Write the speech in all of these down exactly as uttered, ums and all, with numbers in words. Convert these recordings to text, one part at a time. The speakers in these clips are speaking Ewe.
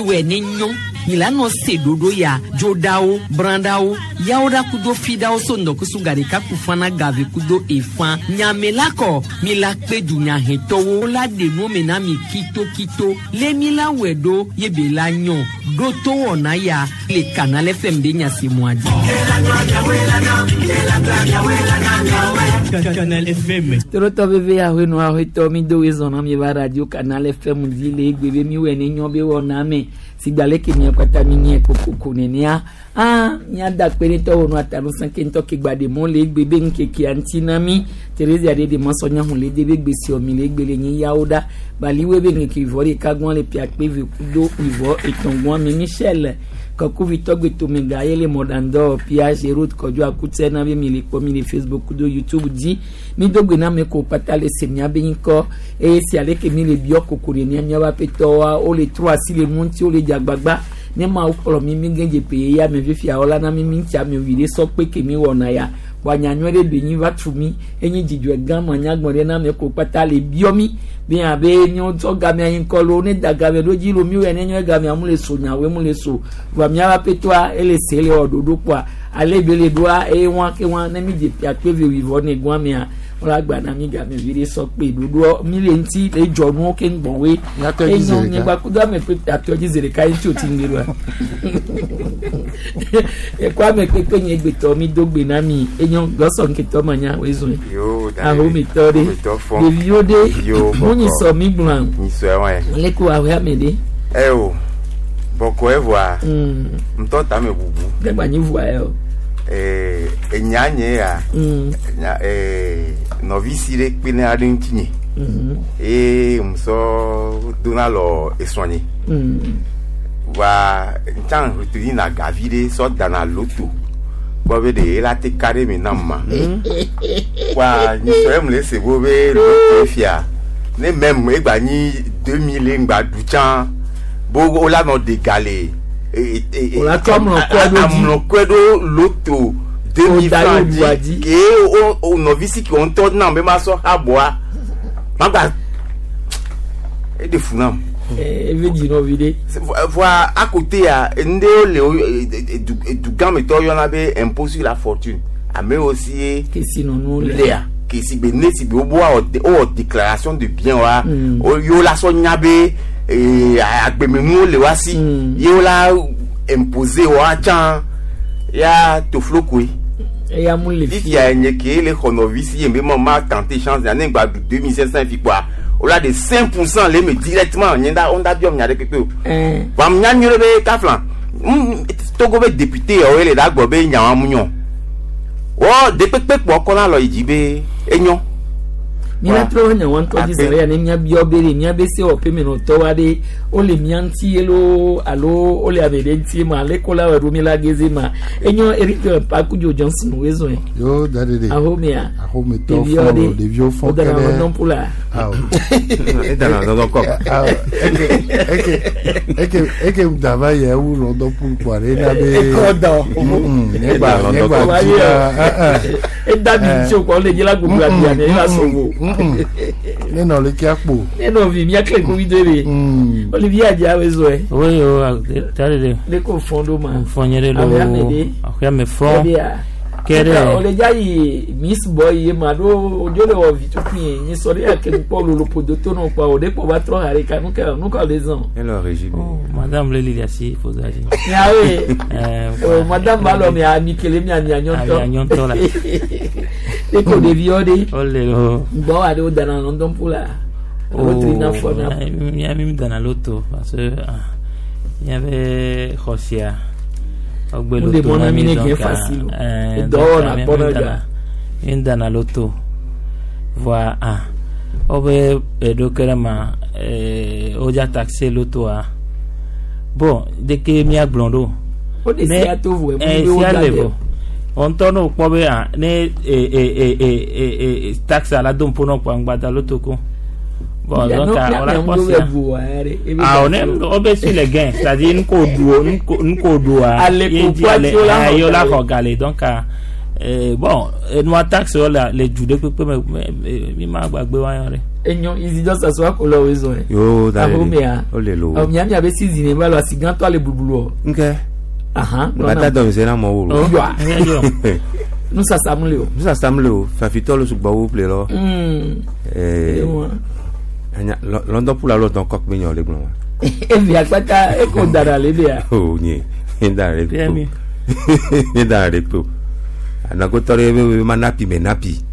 wɛ ne nyɔ milano se dodo ya dzoɖawo brãɖawo yawoɖa kudo fiɖawo so ŋdɔkusu gaɖeka kufana gave kudo efã nyamela kɔ mi la kpe dunyahɛtɔwo la ɖe nuwo me na mi kitokito lé mi la wɛ ɖo ye be la nyɔ ɖo to wɔna ya le Canal F M be nyasemua dzi. Canal F M. Torotɔ veve ahoenu ahoetɔ mi do wezɔn na mi va radio Canal F M dzi le egbe be mi wɔ ne nyɔ be wɔna me sigba ke mia kpata mi nye kokoko nenea ah miada kpe ɖe tɔwo nu atanu sãke ŋutɔ ke gba ɖe mɔ le egbe be ŋkekea ŋuti na mi Teresa ɖe ɖe mɔsɔ nya hun le de be gbesiɔ mi le egbe le nyi yawo ɖa baliwe be ŋkeke ivɔ ɖeka gbɔn le piakpe ve kudo ivɔ etɔ̃ gbɔn mi Michel kɔkuvi tɔgbe tomega ye le mɔɖandɔ pia Gerard Kɔdzo akutse na be mi le kpɔ mi le Facebook kudo YouTube dzi mi do gbe na ame ko kpata le se mia be ŋkɔ eye si ale ke mi le biɔ koko ɖe mia miaƒe aƒetɔwoa wole trɔ asi le nu ŋuti wole dze agbagba ne mawu kplɔ mi mi gɛdze pe ya me fifiawo la na mi mi ŋuti ame wi ɖe sɔ kpe ke mi wɔna ya wa nyanyui ɖe be nyi va tu mi enyi dzidzɔe gã ma nyagbɔn ɖe na ame ko kpata le biɔ mi be abe míawo tsɔ gamea yi ŋkɔ lo ne da game ɖo dzi lo mi wɔ ne nyɔ gamea mu le so nyawoe mu le so vɔa miaƒe aƒetɔa ele se le wɔ ɖoɖo kpoa ale be le ɖoa eye wɔn ke wɔn ne mi dze piakpe ve wivɔ ne gɔn mea wọ́n agba na mi game vi ɖe sɔ kpe ɖoɖoɔ mi le ŋuti le dzɔ nuwo ke ŋgbɔn woe Miatɔ dzi zi enyo ɖeka. miegba kudo ame kpekpe atɔ dzi zi ɖeka ŋuti o ti ŋgbe ɖoa ekɔ ame kpekpe nye gbetɔ mi do gbe na mi enyo gɔsɔ nketɔ ma nya woe zɔn Yo, ahometɔ ɖe ahometɔ fɔ. ɖeviwo ɖe Yo, bɔkɔ. munyi sɔ mi gblɔa Nyisɔ ɛwɔn. leke wò ahoe ame ɖe Ɛ o, bɔkɔ ɛvɔa, Mm, ŋutɔ tame bubu. dagba nyi vua yɛ o Ee, enya nye ya, Mm, nya ee, nɔvi si ɖe kpe ne aɖe ŋuti nye. mhm, Eye musɔ dona lɔ esrɔ̃ nye. mm. Wa ŋtsã retuni na gavi ɖe sɔ dana loto. Kpɔ be ɖe ela te ka ɖe me nam ma. Wa nyisɔ ye mu le se bo be loto fia. Ne mɛm egba nyi deux mille ŋgba du tsã bo wola nɔ de gale. Wola trɔ amlɔkɔe ɖo dzi. Amlɔkɔe ɖo loto deux mille Da francs ye wòɖua dzi. dzi. Ke o o nɔvi si ke wo ŋutɔ nam be ma sɔ aboa. Magba eɖe fu nam. Eh, eve dzi nɔvi ɖe Voa à côté ya nde le o dugãmetɔ yɔna be impôt sur la fortune ame aussi ye kesinɔnuwo le lea ke si be ne si be wo wɔ wɔ déclaration de bien wa Mm. o yewo la sɔ nya be ee agbemenuwo le wa si Mm. yewo la imposer wa tsã ya toflokoe eya mu le fi fifia nye ke le xɔ nɔvi si ye be ma ma tenter chance ya ne gba du deux mille cinq cent fi kpoa o la de cinq pour cent le me directement nye da wo da biɔ nya ɖe kpekpe o Eh, wam nya nyuie be kafla mm, Togo be député yawo le da gbɔ be nyawa mu nyɔ wɔ dekpekpe kpɔ kɔna lɔ yi dzi be enyo mía trɔ nya wɔn tɔ dzi Ape. zã ya ne mía biɔ be ɖe mía be se wɔƒe menɔtɔ wa ɖe wole mía ŋuti ye loo alo wole ame ɖe ŋuti ma ale ko la wɔ ɖo mi la geze ma enyo Eric Pakudzo Johnson woe zɔn Yo, da de de. ahomea Ahometɔ ɖeviwo fɔn ɖe lo, ɖeviwo fɔn wodana kɛnɛ. lɔndɔn ƒu la Awɔ. edana dɔdɔ kɔ Awɔ. Eke eke eke eke dava yɛ wu lɔndɔn pool kpɔ ale na be. ekɔ dɔ Mm, ne gba London ne gba pool. dzi la. eh, eh. eda mi ŋuti o kɔ le dzi la gbogbo abia ne eva sɔgbɔ Mm, Ne nɔ le kia kpo. ne nɔvi mía kle ŋkuvi do be Mm. Olivier Adja woe zɔn Oui, oh, tare de ne ko fɔn ɖo ma fɔnyɛ de lo Ame ame de. aƒea me fɔ Ɛdea. Kɛ ɖe. O le dza yi Miss Boy ye ma ɖo odzo le wɔ vi tukui ye nyi sɔ ɖe yake ŋkpɔ lolo ƒodo to nɔ kpɔ o ɖe kpɔ va trɔ ha ɖeka nu ka nu ka le zɔn. ele régime Oh, madame le lili asi fozaji. Miawoe Eh, o madame ba lɔ mia ami kele mia mia nyɔntɔ. Amia nyɔntɔ la. Ne ko ɖeviwo ɖe O le lo. ŋgbɔ wa ɖe wo dana London ƒu la. Alo trina fɔ na. Mía mi dana loto parce que ah, míaƒe xɔ sia wogbe Wo ɖe loto mɔ na na mi mi ne donc gɛ facile o. eh, Edɔwɔ donc, na mía- kpɔ mi na dana- dza. mi dana loto voa ah wobe eɖo ke ɖe ma eh, wodza taxe lotoa bon deke míagblɔ ɖo O de Ne- sia to vo emu eh, be wo sia dza le ɖe. vɔ ŋutɔ ne wòkpɔ be ah ne eh, eh, eh, eh, eh, eh, taxe la do ŋpo nɔ kpɔ ŋgbada loto ko bon Ya donc no ah, mia wòla mia kpɔ ŋdo be sia bu wa ya ɖe. Ebe ah dza ne flo. wobe sur les gains c'est-à-dire nuko ɖu nuko nuko ɖua Ale ye ko dzi kua ale tsi wola ah, xɔ ye wola gale. xɔ gale donc ah, eh, bon enua taxe wo le le du ɖe kpekpe me me- me- mi ma gbagbe wa yɔ ɖe. Enyo Isidore Sassou akolo wezo ɛ. Yo da Ahomea. O le lo. Ɔ mia mia be si zine ba lo asigãtɔ ale blublu o. Nke. Ahan. Bata dɔ mi se na mɔ wo lo. Yɔa. Nusasa mu le o. Nusasa mu le o. Fafitɔ le sugbɔ wo ple lɔ. Mm. Ɛɛ. Anya London pula lɔ dɔn kɔk mi nyɔ le gblɔ wa. Evi akpata eko dara le bia. O nye. Nye dara le kpo. Nye dara le kpo. Anakotɔ ɖe be ma napi me napi.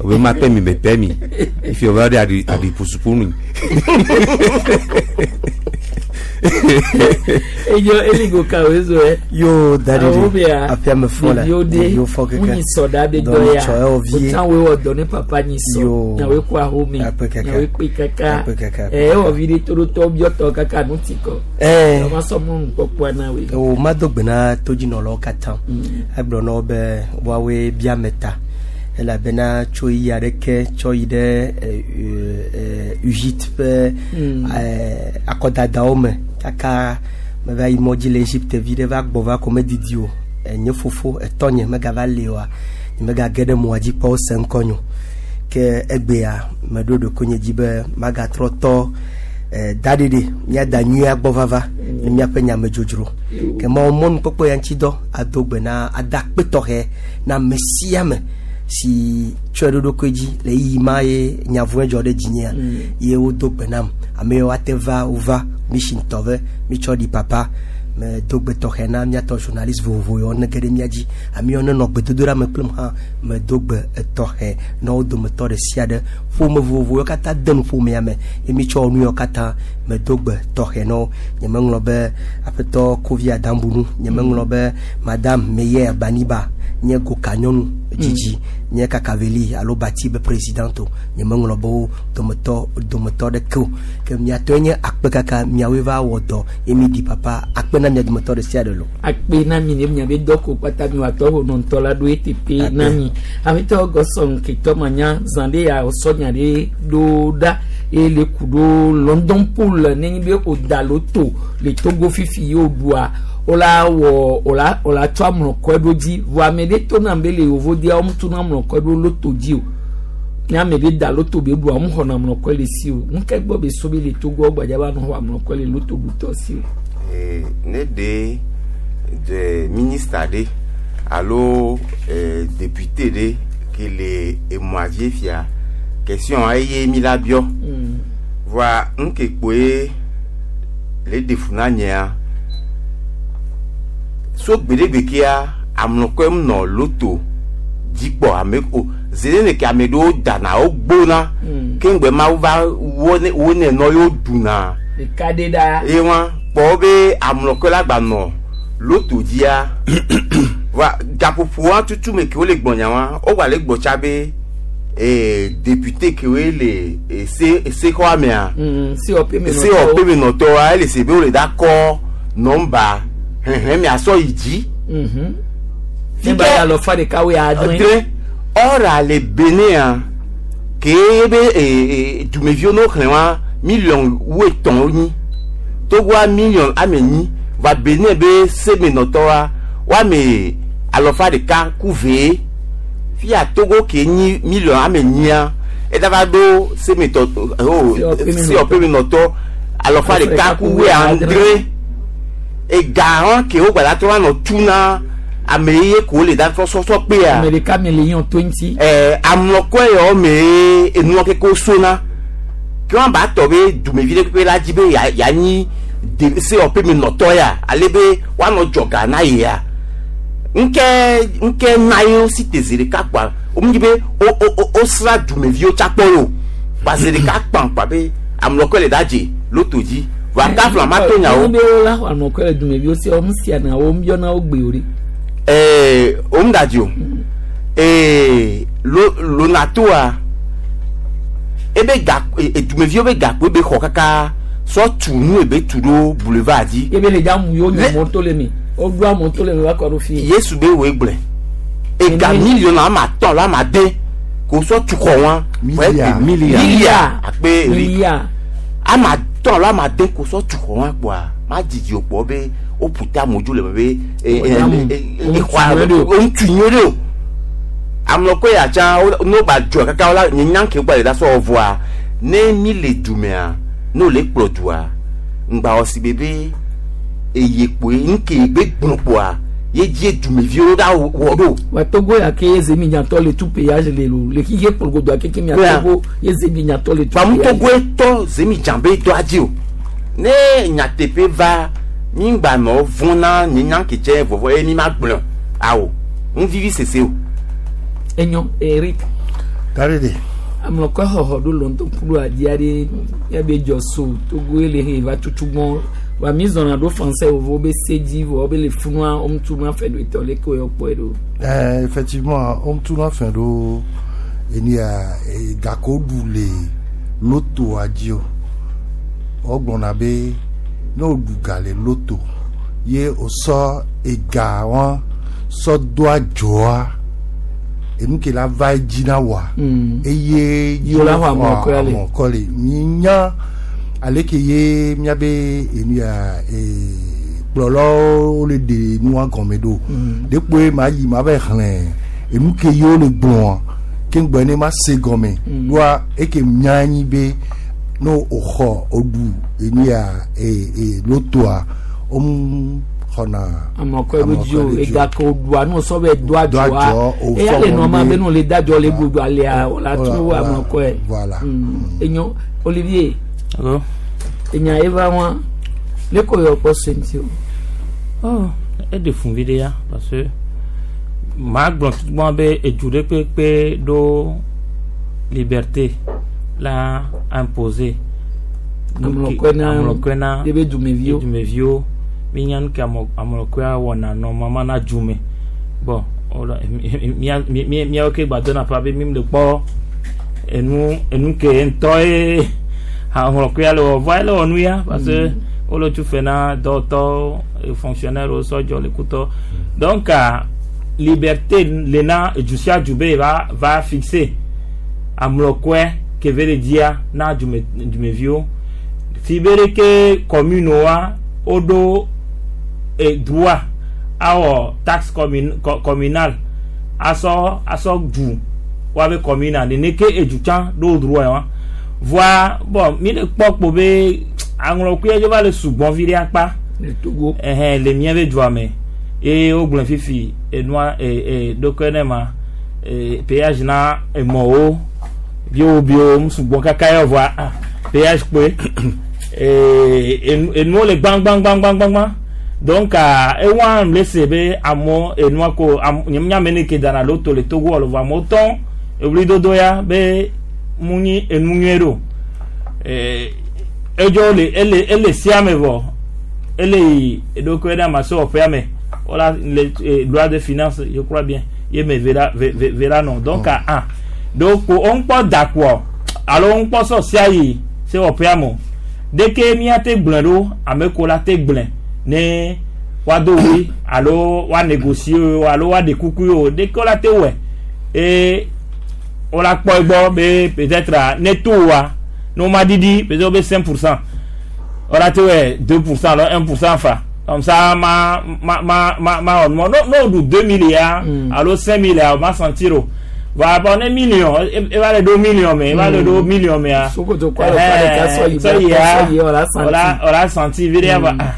Obe ma pɛ mi me pɛ mi. Ifi o va de aɖi aɖi pusupu mi. Eyo eligo ka wezo ɛ. Yo daddy. Ahomea. Afia me fɔ la. Ɖeviwo de. Ɖeviwo fɔ keke. Ŋunyi sɔ ɖa be Donc, dɔ ya. tsɔ yɔ vie. Otsã woe wɔ dɔ ne papa nyi sɔ. Yo. Nyawoe kɔ ahome. Akpe kaka. Nyawoe kpe kaka. Akpe kaka. Ɛ ewɔ vi ɖe to ɖo tɔ biɔtɔ kaka nu ti kɔ. Ɛɛ. Ɔma sɔ mɔnu kpɔkpɔa na woe. O ma do gbe na todzinɔlawo katã. Egblɔ na wo be woawoe bia me ta elabena tso yi aɖeke tsɔ yi ɖe ɛ, ɛ, Egypte ƒe ɛ, akɔdadawo me kaka meva yi mɔdzi le Egypte vi ɖe va gbɔ va ko medidi o. Nye fofo etɔnye megava li oa nye megage ɖe mɔa dzi kpɔ wose ŋkɔ nyo ke egbea meɖo ɖokuinye dzi be magatrɔ tɔ eh, daɖiɖi míada nyuia gbɔ vava ne míaƒe nyamedzodzro ke mawɔ mɔnukpɔkpɔ ya ŋuti dɔ ado gbe na ada akpe tɔxɛ na ame sia ame si tsɔe ɖo ɖokui dzi le yiyi ma ye nyavɔe dzɔ ɖe dzinyea ye wodo gbe nam ame yiwo ate va wova mission tɔ ve mitsɔ ɖi papa me do gbe tɔxɛ na míatɔ journaliste vovovo yiwo ne ge ɖe mía dzi ame yiwo nenɔ gbedodoɖa me kplem hã me do gbe etɔxɛ na wo dometɔ ɖe sia ɖe ƒome vovovo yiwo katã de nu ƒomea me ye mitsɔ nu yiwo katã me do gbe tɔxɛ na wo nyemeŋlɔ be aƒetɔ Kovi Adambunu nyemeŋlɔ be madame Meyer Baniba nye goka nyɔnu dzidzi nye kakaveli alo bati be président o nyemeŋlɔ be wo dometɔ dometɔ ɖeke o ke miatɔe nye akpe kaka miawoe va wɔ dɔ ye mi ɖi papa akpe na mia dometɔ ɖe sia ɖe lo. Akpe na mi ne miabe dɔ ko kpata mi wòatɔ ho nɔ ŋutɔ la ɖo eteƒe na mi. Aƒetɔ gɔsɔn ketɔ manya zã ɖe ya wòsɔ nya ɖe ɖo ɖa eye le ku ɖo London Pool nenye be wòda loto le Togo fifi ye wòɖua wola wɔ wola wola tsɔ amlɔkɔe ɖo dzi vɔ ame ɖe to nam be le yevodia wɔm tso na amlɔkɔe ɖo loto dzi o ne ame ɖe da loto be ɖua wɔm xɔna amlɔkɔe le si o ŋkɛ gbɔ be so be le Togo gbadza va nɔ xɔ amlɔkɔe le loto ɖutɔ si o. Eh, ne de de ministre ɖe alo eh, député ɖe ke le emɔa vie fia question eye mi la biɔ voa ŋke kpoe le ɖe fu na nyea so gbeɖegbe kea amlɔkɔe nɔ loto dzikpɔ ame o zene ke ame ɖewo dana wo gbona ke ŋgbe ma va wo ne wo ne nɔ yewo ɖuna Ɖeka ɖe ɖa. ye wa kpɔ be amlɔkɔe la gba nɔ loto dzia va gaƒoƒoa tutu me ke wo le gbɔnya wa wo gba le gbɔ tsa be ee député ke woe le ese esexɔa mea Mm, C O P me se C O P me nɔtɔa ele se be wo le da kɔ nɔmba hɛhɛn mia sɔ yi dzi. Mhm. Ne ba ya lɔ fa ɖeka wo ya adre. Adre ɔra le Benin ke ebe ee dumeviwo no xlẽ wa million wuietɔ̃ wonyi Togoa million ame enyi va Benin be semenɔtɔa woame alɔfa ɖeka ku vee fia Togo ke nyi million ame enyia eda va ɖo semetɔ o C O P menɔtɔ alɔfa ɖeka ku wuiadre ega hã ke wo gbada trɔ va nɔ tu na ame ye ko le da trɔ sɔsɔ kpea. Ame ɖeka me le yɔn twenty. Ɛɛ amlɔkɔe yawo me enua keke sona ke wɔn ba tɔ be dumevi ɖe kpe la dzi be ya yanyi de C O P me nɔtɔ ya ale be woanɔ dzɔga na ye ya ŋkɛ ŋkɛ na ye si te zi ɖeka kpa wo dzi be wo wo wo sra dumeviwo tsa kpɔ o kpa zi ɖeka kpa kpa be amlɔkɔe le da dze loto dzi va kafla ma to nyawo. Wo be wo la xɔ amlɔkɔe le dumeviwo si wɔm sia na wo yɔna wo gbe o ɖe. Ɛɛ o mu da dzi o ee lo lonatoa ebe ga edumeviwo be gakpo be xɔ kaka sɔ tu nu ebe tu ɖo boulevard dzi. Ebe le dza mu yewo nye mɔto le me wo ɖo amɔto le me va kɔ ɖo fi. Yesu be woe gblɔe ega million ama atɔ̃ alo ama ade ko sɔ tu xɔ wa. Milliard. Milliard akpe eri Milliard. ama atɔ̃ alo ama ade ko sɔ tu xɔ wa kpoa ma dzidzi o kpɔ be wo ƒuta amewo le me be e e e xɔa o ŋutu nyuie ɖe o amlɔkɔe ya tsã wo n'o gba dzɔ kaka la nye nya ke gba le da sɔ vɔa Ne mi le dumea ne wòle kplɔ dua ŋgba wɔ si be be eye kpoe nke gbe gblɔ kpoa ye dzie dumeviwo ɖa wɔ ɖo. Wa Togo ya ke ye zemidzatɔ le tu péage le lo le xixe kplogodo akeke mia Yeah. Togo ye zemidzatɔ le tu Kpamu péage. Togoe tɔ zemidza be dɔa dzi o ne nyateƒe va mi ŋgba nɔ vɔ̃ na nye nya ke tse vɔvɔ ye mi ma gblɔ awo ŋu vivi sese o. Enyo Eric Tare de. amlɔkɔ xɔxɔ ɖo lɔntɔkuɖo adi aɖe miabe dzɔ so Togo ye le he va tutu gbɔn wa mi zɔna ɖo français vovo be se dzi vɔ be le funua woŋutu ma fɛ ɖo etɔ leke woyɔ kpɔe ɖo. Eh, effectivement, on tourne fin do eni a gako ɖu le loto dzi o. Wogblɔna be ne woɖu ga le loto ye wòsɔ ega wɔn sɔ do adzɔa enu ke la va edzi na woa Mm. eye Yi wola xɔ amɔkɔ ya le. amɔkɔ le minya ale ke ye miabe enu ya ee kplɔlawo le ɖe nua gɔme ɖo dekpoe ma yi ma va xlẽ enu ke ye wole gblɔa ke ŋgbɔ ne ma se gɔme ɖoa eke nya nyi be ne wòxɔ woɖu enu ya ee ee lotoa womu xɔna amɔkɔ ɖo dzi o amɔkɔ ɖe dzi o. ega ke woɖua ne wosɔ be do Do adzɔa adzɔ, o eya fɔ le nɔ ma wɔn be be- ne wole da adzɔ le godo alea wòla Voilà, tu voilà, amɔkɔe. voilà. Mm. Enyo Olivier D'accord. enya eva wa leke woyɔ kpɔ se ŋuti o. Oh, eɖe fun vi ɖe ya parce que maa gblɔ tutugbɔn be edu ɖe kpekpe ɖo liberté la imposer. Amlɔkɔe na amlɔkɔe na ebe dumeviwo. dumeviwo mi nya nu ke amɔ amlɔkɔea wɔna nɔ mama na dzume bon wòle mia mi mi miawo ke gba dona pa be mi le kpɔ enu enu ke ŋutɔ ye amlɔkɔea le wɔ vɔa ele wɔ nu ya parce que wole tu fɛ na dɔwɔtɔwo fonctionnaire wo sɔdzɔ le kutɔ donc ah, liberté le na edu sia du be va va fixer amlɔkɔe ke ve le dzia na dume dumeviwo si be ɖeke commune wa woɖo e droit awɔ taxe commune co communale asɔ asɔ du woabe commune a nene ke edu tsã ɖo droit wa voa bon mi le kpɔ kpo be aŋlɔkɔe dzo va le sugbɔn vi ɖe akpa Le Togo. ɛhɛn le mía be dua me eye wogblɔ fifi enua e e ɖokɔe ne ma e péage na emɔwo biowo biowo mu sugbɔn kaka yɔ voa ah péage kpoe ee enu enuwo le gbãgbãgbãgbãgbã donc ah ewa le se be amewo enua ko am nye nya ne ke dana loto le Togo alo vɔ amewo tɔ ewuli ya be mu nyi enu nyuie ɖo ee edzo le ele ele sia me vɔ ele yi eɖokui ɖe ama sewɔƒea me wala le eh, loi de finance je crois bien ye me vera ve ve vera nɔ donc ah ah donc wo ŋkpɔ dakuɔ alo wo ŋkpɔ sɔ sia yi sewɔƒea me o deke míate gblɔe ɖo ame ko la te gblɔe ne woado wui alo woa négocier o alo woaɖe kuku o deke wola te wɔe eye wola kpɔ egbɔ be peut-être ah, ne to wa ne wo ma ɖiɖi peut-être wo be cinq pour cent wola te wɔe deux pour cent alo un pour cent fa comme ça ma ma ma ma ma wɔ numɔ no no ɖu deux mille ya Mm. alo cinq mille ya o ma sentir o voilà bon ne million e e va le ɖo million me e va le ɖo million mea Sokoto kɔ alo fa ɖeka sɔ yi sɔ yi ba ya sɔ yi wòla santi. wòla wòla santi vi ɖe ya va ah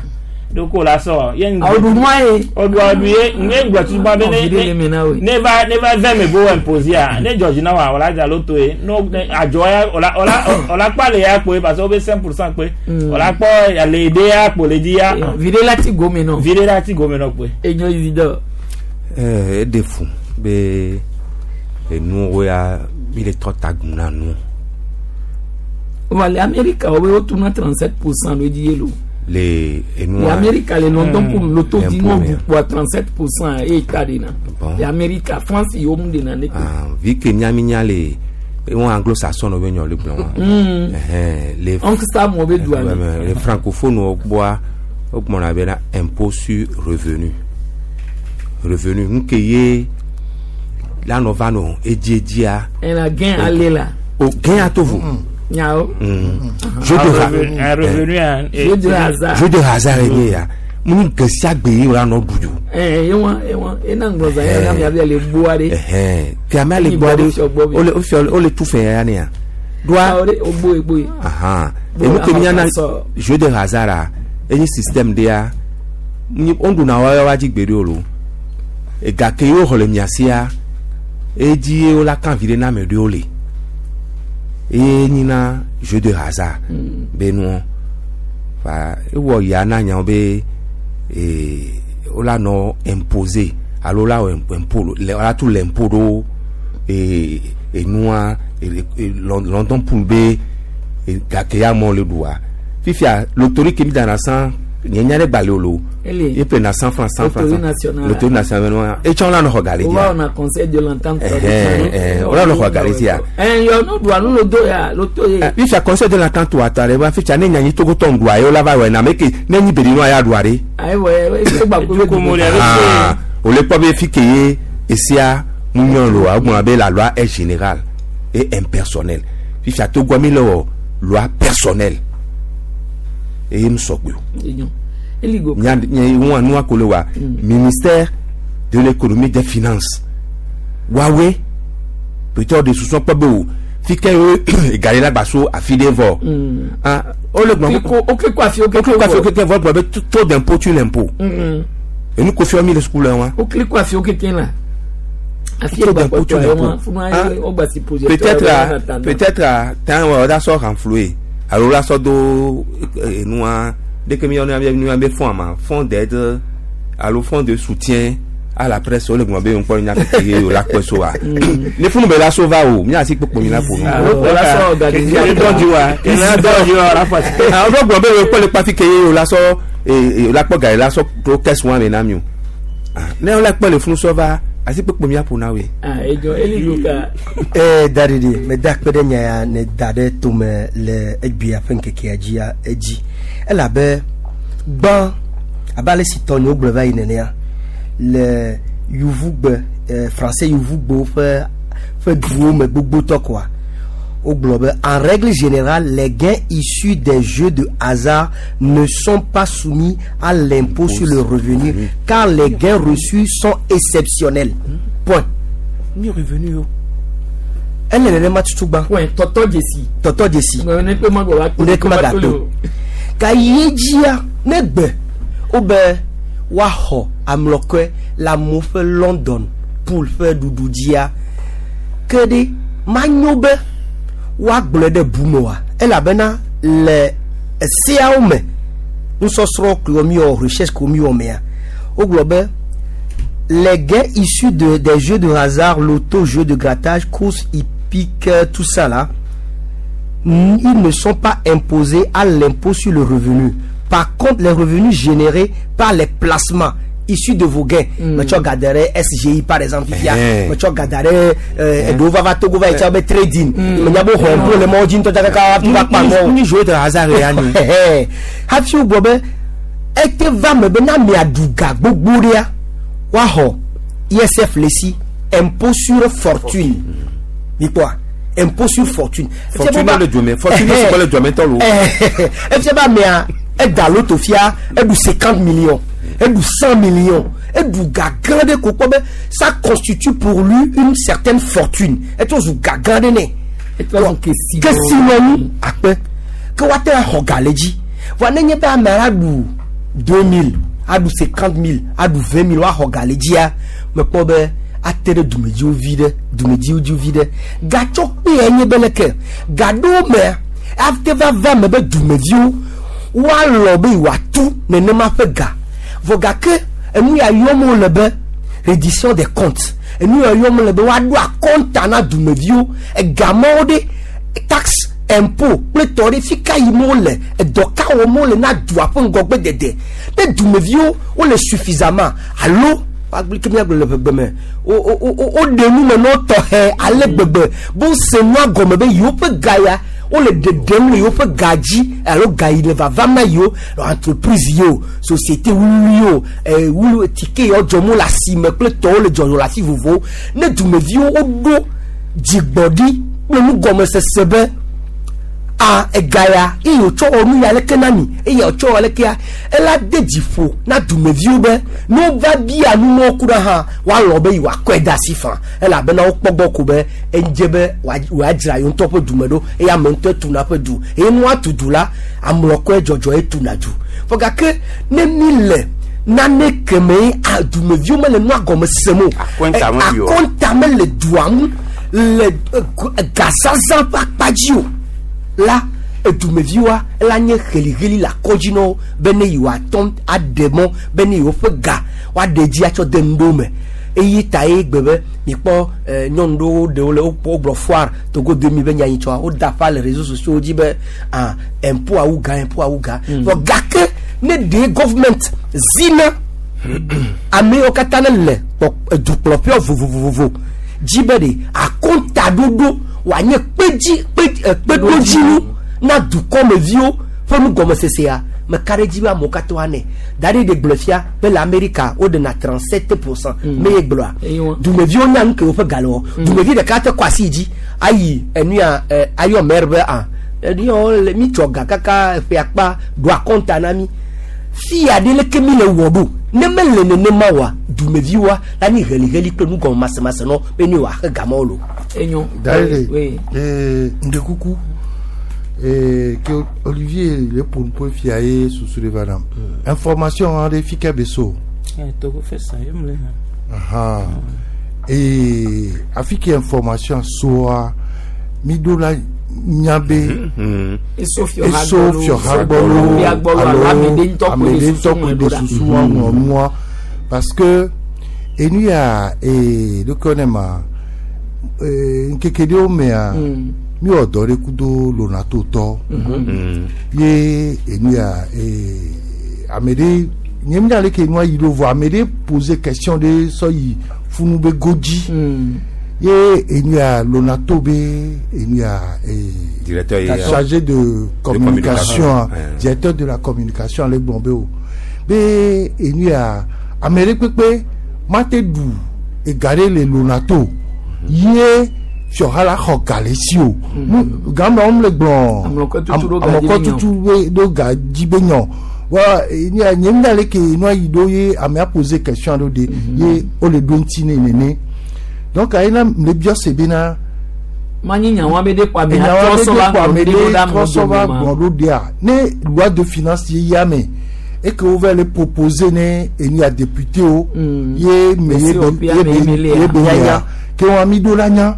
ɖoko la sɔ ye ŋgbe Awo ɖu nua ye. odu odu ye nye ŋgbe tutu be Ɔ, viɖe le ne me na woe. ne va ne va vɛ me bo imposer a ne dzɔdzi na wa wòla dza loto ye no ne adzɔ ya wòla wòla wòla kpɔ ale ya kpoe parce que wo be cinq pour cent kpoe Mm. wòla kpɔ ale de ya kpo le dzi ya Viɖe la ti gome nɔ. viɖe la ti gome nɔ kpoe. Enyo Isidore. Eh, eɖe fu be enuwo ya mi le trɔ ta gum na nu Wa le Amerika wo be wotuna trente sept pour cent ɖo edzi ye lo. le Le enua Amerika le London pour loto di L'impôt, no mais- ɖu kpoa trente sept pour cent eye ta ɖe na. Bon. Le Amerika France yi wo mu ɖe na ne ko. Ah, vi ke miami nya le ewọn anglo-saxon be nyɔ le gblɔ wa Mm. Ɛhɛn, le Oncle Sam wo be dua me. Ouais, le francophone wo gbɔa wo gblɔna bena impôt sur revenu revenu nu ke ye la nɔ va nɔ edziedzia Ɛna gain ale la. o gɛn ya to vo Nyawo. jeu de Un ha revenu un Jeu de hasard. jeu de hasard ye nye ya mu nu ge sia gbe ye wòla nɔ ɖu dzo Ɛɛ ewa ewa ena ŋgblɔ zã yɛ na miabe le gboa ɖe. Ɛhɛn, ke amea le Ni gbɔ bɔ ɖe fiɔ gbɔ bi. wole wofia wole tu fɛ ya nea Doa ogbo egbo ye. Ahan enu ke miana jeu de hasard a enye système de ya on na wa wa dzi gbe ɖe o lo ega ke yewo xɔ le mia sia edzi ye wola kan vi ɖe na ame ɖewo le eye nyina jeu de hasard be nuɔ fa ewɔ ya na nyawo be ee wola nɔ imposer alo wola wɔ impôt le wola tu l'impôt ɖo ee enua London Pool be gake ya mɔ le ɖua fifia loterie ke mi dana san nye nya ɖe gbalẽ o lo Ele. e prena cent francs cent francs Loterie nationale. loterie nationale nua etsɔ la nɔ xɔ gali o dzia wa on a conseil de l'entente. Ɛhɛn, ɛhɛn, o la nɔ xɔ gali dzia ɛn yɔ no do anu lo do ya lo to ye. fifia conseil de l'entente wa ta ɖe wa fifia ne nyanyi togotɔ ŋɖua ye wola va wɔ na me ke ne nyi bedi nua ya ɖua ɖe ayiwa e gba ko Ko mo le abe Ah, o le kpɔ be fi ke ye esia mu nyɔ lo wa gbɔna be la loi est générale et impersonnelle fifia togoa mi le wɔ loi personnelle eye mu sɔgbe o. Eligo. nya nya wọn nua ko le wa ministère de l'économie des finances wawe peut-être de sousɔ kpɔ be o fi ke ye gali la gba so afi ɖe vɔ ah o le gbɔn Ko o ke ko afi o ke o ko ko afi o keke vɔ gblɔ be taux d'impôt tu l'impôt enu ko fiɔ mi le sukulu wa O kili ko afi o ke ten la. Afi Taux e gba d'impôt kpɔtɔ tu ye l'impôt wa funu Ah, ayi o gba si projet. peut-être à peut-être à tan wa da sɔ renflouer alo la sɔ do enua dès que mi yɔ nua be fonds ma fonds d'aide alo fonds de soutien à la presse o le gbɔn be ŋkpɔ nya keke ye o la kpɛ so wa ne funu bɛ la so va o mi asi kpokpo mi la ƒo nu. O la sɔ organiser. Kele dɔn wa kele dɔn wa la fa. Ah, o gbɔn be o kpɔ le kpafi ke ye o la sɔ ee o la kpɔ gari la sɔ to kɛse wa me na mi o Ah, ne o la kpɔ le funu sɔ va asi kpokpo mi aƒo na we. Ah ejo eligo ka. ee daɖiɖi meda akpe ɖe nya ya ne da ɖe tome le egbea ƒe ŋkekea dzia edzi elabe gbã abe ale si tɔnyewo gblɔ va yi nenea le yovugbe eh, français yovugbewo ƒe ƒe duwo me gbogbotɔ koa wogblɔ be en règle générale les gains issus des jeux de hasard ne sont pas soumis à l'impôt sur le revenu car les gains reçus sont exceptionnels point Mi revenu o. ele nenema tutu gbã Point tɔtɔ jesi. tɔtɔ dzesi Ne pe ma gbɔ wa ne kuma gato ka yi dzia ne gbe wobe woaxɔ amlɔkɔe le amewo ƒe london pool ƒe ɖuɖu dzia ke ɖe manyo be woagblɔe ɖe bu me oa elabena le eseawo me nusɔsrɔ̃ kewo miwɔ recherche kewo miwɔ mea wogblɔ be les gains issus de, des jeux de hasard, loto, jeux de grattage, courses hippiques, tout ça là, ils ne sont pas imposés à l'impôt sur le revenu. Par contre, les revenus générés par les placements issus de vos gains, mm. tu regarderais S G I par exemple, Fifia, Eh. tu regarderais Edova Togo va être trading, mais il y a beaucoup de les mots tu vas pas Mi jeu de hasard ya ni. hafi wogblɔ be ete va me be na miaɖu ga gbogbo ɖea woaxɔ I S F le si impôt sur fortune mikpɔa impôt sur fortune Fortune le dome fortune sɔgbɔ le dome tɔ lo. efia be amea eda loto fia eɖu cinquante millions eɖu cent millions eɖu ga gã ɖe ko kpɔ be ça constitue pour lui une certaine fortune etrɔ zu ga gã ɖe nɛ kesinɔnu akpe ke woate axɔ ga le dzi voa nenye be ame la ɖu deux mille aɖu cinquante mille aɖu vingt mille woaxɔ ga le dzia mekpɔ be ate ɖe dumedziwo vi ɖe dumedziwo dzi vi ɖe gatsɔ kpee nye be leke ga ɖewo mea ate va va me be dumeviwo woalɔ be yewoatu nenema ƒe ga vɔ gake enu ya yɔm wole be reddition des comptes enu ya yɔm wole be woaɖo akɔnta na dumeviwo egamawo ɖe taxe impôt kple tɔ ɖe fi ka yim wole edɔ ka wɔm wole na dua ƒe ŋgɔgbe dede ne dumeviwo wole suffisamment alo woagblɔ ke míagblɔ le ʋegbe me wo wo wo woɖe nu me na wo tɔxɛ ale gbegbe be wose nua gɔme be yewoƒe ga ya wole ɖeɖem le yewoƒe ga dzi alo ga yi le vavam na yewo entreprise yi o société wuli yi o eh, wuli tike yawo dzɔm wole asime kple tɔwo le dzɔdzɔ le afi vovovowo ne dumeviwo woɖo dzigbɔɖi kple nugɔmesese be A egaya eye wòtsɔ wɔ nu ya leke na mi eye wòtsɔ wɔ leke ya ela de dziƒo na dumeviwo be ne wova bia numɔwo ku ɖe hã woalɔ be yewoakɔe de asi fã elabena wokpɔ gbɔ ko be edze be wòadzra yewo ŋutɔ ƒe dume ɖo eye ame ŋutɔ tuna ƒe du eye nua tu du la amlɔkɔe dzɔdzɔe tuna du vɔ gake ne mi le nane keme dumeviwo mele nua gɔme sem o akɔnta mele dua ŋu le gazaza ƒe akpa dzi o la edumeviwoa ela nye heliheli le akɔdzi na wo be ne yewoatɔ aɖe mɔ be ne yewoƒe ga woaɖe dzi atsɔ de nu ɖewo me eye ta ye gbe be mikpɔ nyɔnu ɖewo ɖewo le wogblɔ foire Togo deux mille be nyanyitsɔa woda ƒa le réseaux sociaux dzi be ah impôt awu gã impôt awu gã vɔ gake ne ɖe government zina ame yiwo katã ne le dukplɔƒewo vovovovo dzi be ɖe akɔntaɖoɖo wòanye kpedzi kpeɖodzinu na dukɔmeviwo ƒe nugɔmesesea meka ɖe dzi be amewo katã woanɛ da ɖe ɖe gblɔ fia be le Amerika woɖena trente-sept pourcent me ye gblɔa dumeviwo nya nu ke woƒe ga le wɔ dumevi ɖeka te kɔ asi dzi ayi enu ya ayɔ maire be ah enu ya le mi tsɔ ga kaka eƒe akpa ɖo akɔnta na mi fia ɖe leke mi le wɔ ɖo ne mele nenema wa dumeviwoa la nyi heliheli kple nugɔmemasemase nɔ be ne wòaxe gamɔwo lo. Enyo. D'ailleurs, Oui. eh, ndekuku eh, ke Olivier le pour fia ye susu le va nam. Information aɖe fi ke be so. Togo fɛ sa ye mle. Aha. Et afi ke information soa mi do la nya be Eso fiɔha eso fiɔha gbɔlo alo ame ɖe ŋutɔ ame koe ɖe le ŋutɔ susu koe ŋlɔ ɖe ɖo ɖa. susu ŋlɔ nua parce que enu ya ee ɖeke ne ma ee ŋkeke ɖewo mea mi wɔ dɔ ɖe kudo lonato tɔ ye enu ya ee ame ɖe nye mi ɖe ke nua yi ɖo vɔ ame ɖe pose question ɖe sɔ yi funu be godzi ye enu ya lonato be enu ya ee Directeur ye chargé de communication, communication, ouais. directeur de la communication ale gblɔ be o be enu ya ame ɖe kpekpe mate ɖu ega ɖe le lonato ye fiɔha la xɔ ga le si o Nu- game wɔm le gblɔ Amlɔkɔ tutu ɖo ga dzi amlɔkɔ be nyɔ. tutu be- ɖo ga dzi be nyɔ wa enu ya nye mi ɖe ke nua yi ɖo ye amea pose question ɖo de ye wole ɖo ŋuti ne nene donc ayi na le biɔ se bena manyi nyawa be ɖe kɔ ame enyawa atrɔ be sɔ ɖe va kɔ ame ŋlɔ ɖe ɖe ɖo ɖa trɔ sɔ va amewo dome ma. gblɔ ɖo ɖea ne loi de finance ye ya me et que wova le proposer ne enu ya député wo ye me ye be C O P ye be ame ye ye be Ya, ya ya. ke wɔn mi ɖo la nya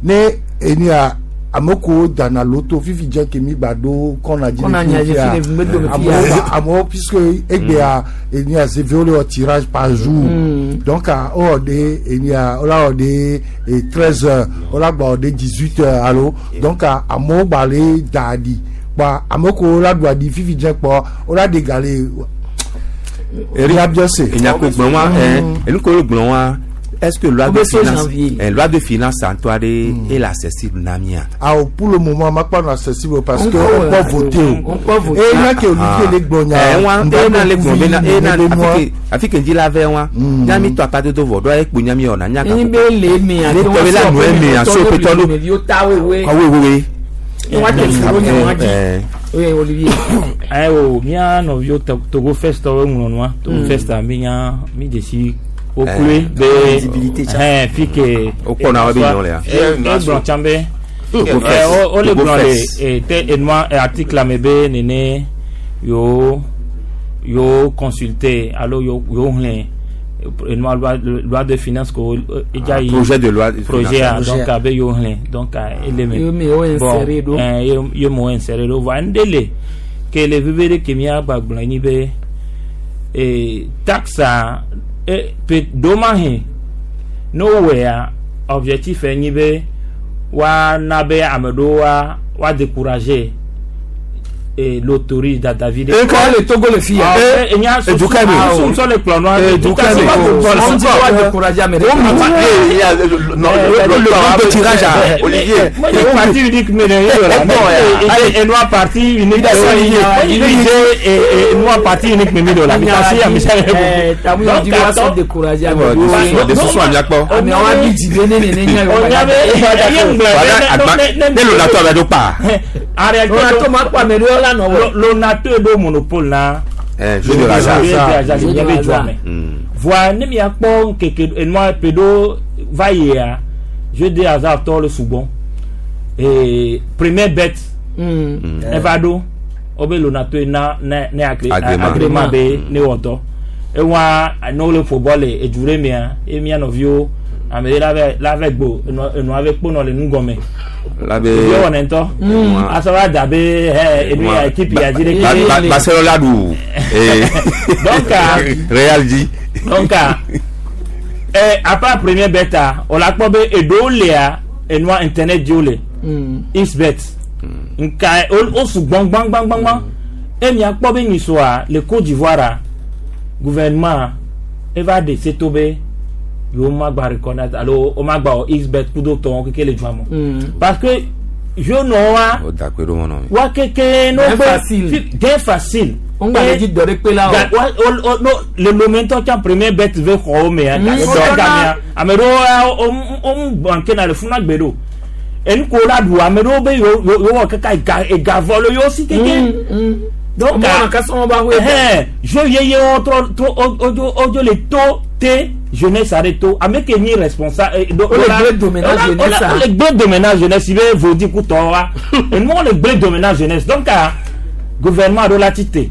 ne enu ya ame ko dana loto fifi dze ke mi gba ɖo kɔna dzi Kɔna nya dzi fi le ŋgbe dome fi amewo ya. ba- amewo puisque egbea enu ya zeve wo le wɔ tirage par jour donc a wowɔ ɖe enu ya wola wɔ ɖe treize heures wola gba wɔ ɖe dix huit heures alo donc a amewo gba le da aɖi kpɔa ame ko la ɖu aɖi fifi dze kpɔ wola ɖe ga le Eric, ya se. Enyako gblɔ wa ɛ enu ko gblɔ wa est-ce que loi de Obe so finance janvier. ɛ loi de finance ŋutɔ aɖe est accessible na mia. Ah, pour le moment, ma pas accessible parce que On on peut, peut voter. on peut voter. Et là que Olivier le gblɔ nya. ɛ wa ena le gblɔ bena ena be nua. afi ke afi ke ŋdzi la vɛ wa nyami tɔ apa dodo vɔ ɖo ekpo nyami wɔna nya Enyi be le eme Ne tɔ be la nu eme a, so petɔ ɖo. Ɖeviwo ta wewe. awo wewe. Ne woate fu ɖo nyawa dzi. Ɛ Oui, Olivier. Ayiwo mía nɔviwo Togo- Togo Fest tɔwo ŋlɔ nua Togo Fest mi nya mi dzesi wokloe be Visibilité tsa. ɛn fi ke Wokpɔna wo be nyɔ lea. e gblɔ tsã be Togo ɛ Fest. wo wole Togo gblɔ le Fest. e te enua ɛ, article me be nene yewo yewo consulter alo yewo yewo xlẽ enua loi loi de finance ko edza yi projet de loi de projet a finance. donc abe yewo xlẽ donc a ele me Ye me wo insérer ɖo. ɛn ye ye mo insérer ɖo voa ŋɖe le ke le veve ɖe ke mía gbagblɔ nyi be ee taxa e pe ɖomahe ne wowɔea objectif nyi be woana be ame ɖewo wa wa décourager e loterie dadavi ɖe. Eka le Togo le fi ya. Ah, enya Edu ka me. susu ŋutɔ le kplɔ nua. Edu ka me. On dit wa décourager ame ɖe. Eh, ya, non, le le nombre de tirage à Olivier. Moi, j'ai parti unique, mais et moi parti unique. Et moi parti unique, mais de la Eh, tamu ya di wa sɔ décourager ame Bon, ɖewo. de susu amiakpɔ. Ame wa bi dzi be ne nene nya yewo On ba avait Voilà, agba- ne lo la tɔ abe ɖo kpa. En réalité Lonato ma kpɔ ame ɖewo la nɔ wɔ. Lonato ɖo monopole na. Eh, jeu de hasard. Jeu de hasard Jeu de le miabe dua hasard. me. Voa ne miakpɔ nkeke enua ƒe ɖo va yia jeu de hasard tɔ le sugbɔ. Ee première bet Mm. eva ɖo wobe Lonato ye na ne ne agré Agrément. agrément be ne wɔ dɔ. Ewa ne wole ƒo bɔl le edu ɖe mea ye mia nɔviwo ame ɖe la vɛ la vɛ gbo enua enua ve kponɔ le nugɔme. La be. Ye wɔ nɛntɔ. Enua- Asɔ va da be hɛ enu ya équipe ya dzi ɖe Ba- ke. Ba- Barcelone la ɖu. Eh. Donc, ah, Real dzi. Donc ah, eh, à part première bet ah, on la kpɔ be eɖewo lia enua internet dzi wole Mm. xbet nka o o sugbɔn gbãngbãngbãngbã e mia kpɔ be nyisɔa le Côte d'Ivoire a gouvernement eva ɖe se to be yewo ma gba reconnaître alo wo ma gba wɔ xbet kudo tɔwo keke le dua me Mm. parce que jeune wa O da kpe ɖo mɔ nɔ mi. wa keke no Gain gbe facile. fi- gain facile. O ŋgba le dzi dɔ ɖe kpe la o. Ga- wa- o- o- no, le lomentɔ tsã premier bet ve xɔwo mea Mm. gake Mm. dɔ gamea ame ɖewo ya wo wo wo banke na le funa gbe ɖo enu ko la ɖu ame ɖewo be yewo yewo wɔ kaka ega ega vɔ le yewo si keke Mm, mm. donc Ɔmɔ ah, kasa wɔn ba hoe. ɛhɛn jeu yeyewo trɔ trɔ o odzo odzo le to te jeunesse aɖe to ame ke nyi responsable eh, do O le la- gble dome na o la- o la- jeunesse a. o le gble dome na jeunesse i be vodi kutɔ wa enuwo le gble dome na jeunesse donc ah gouvernement ɖo la ti te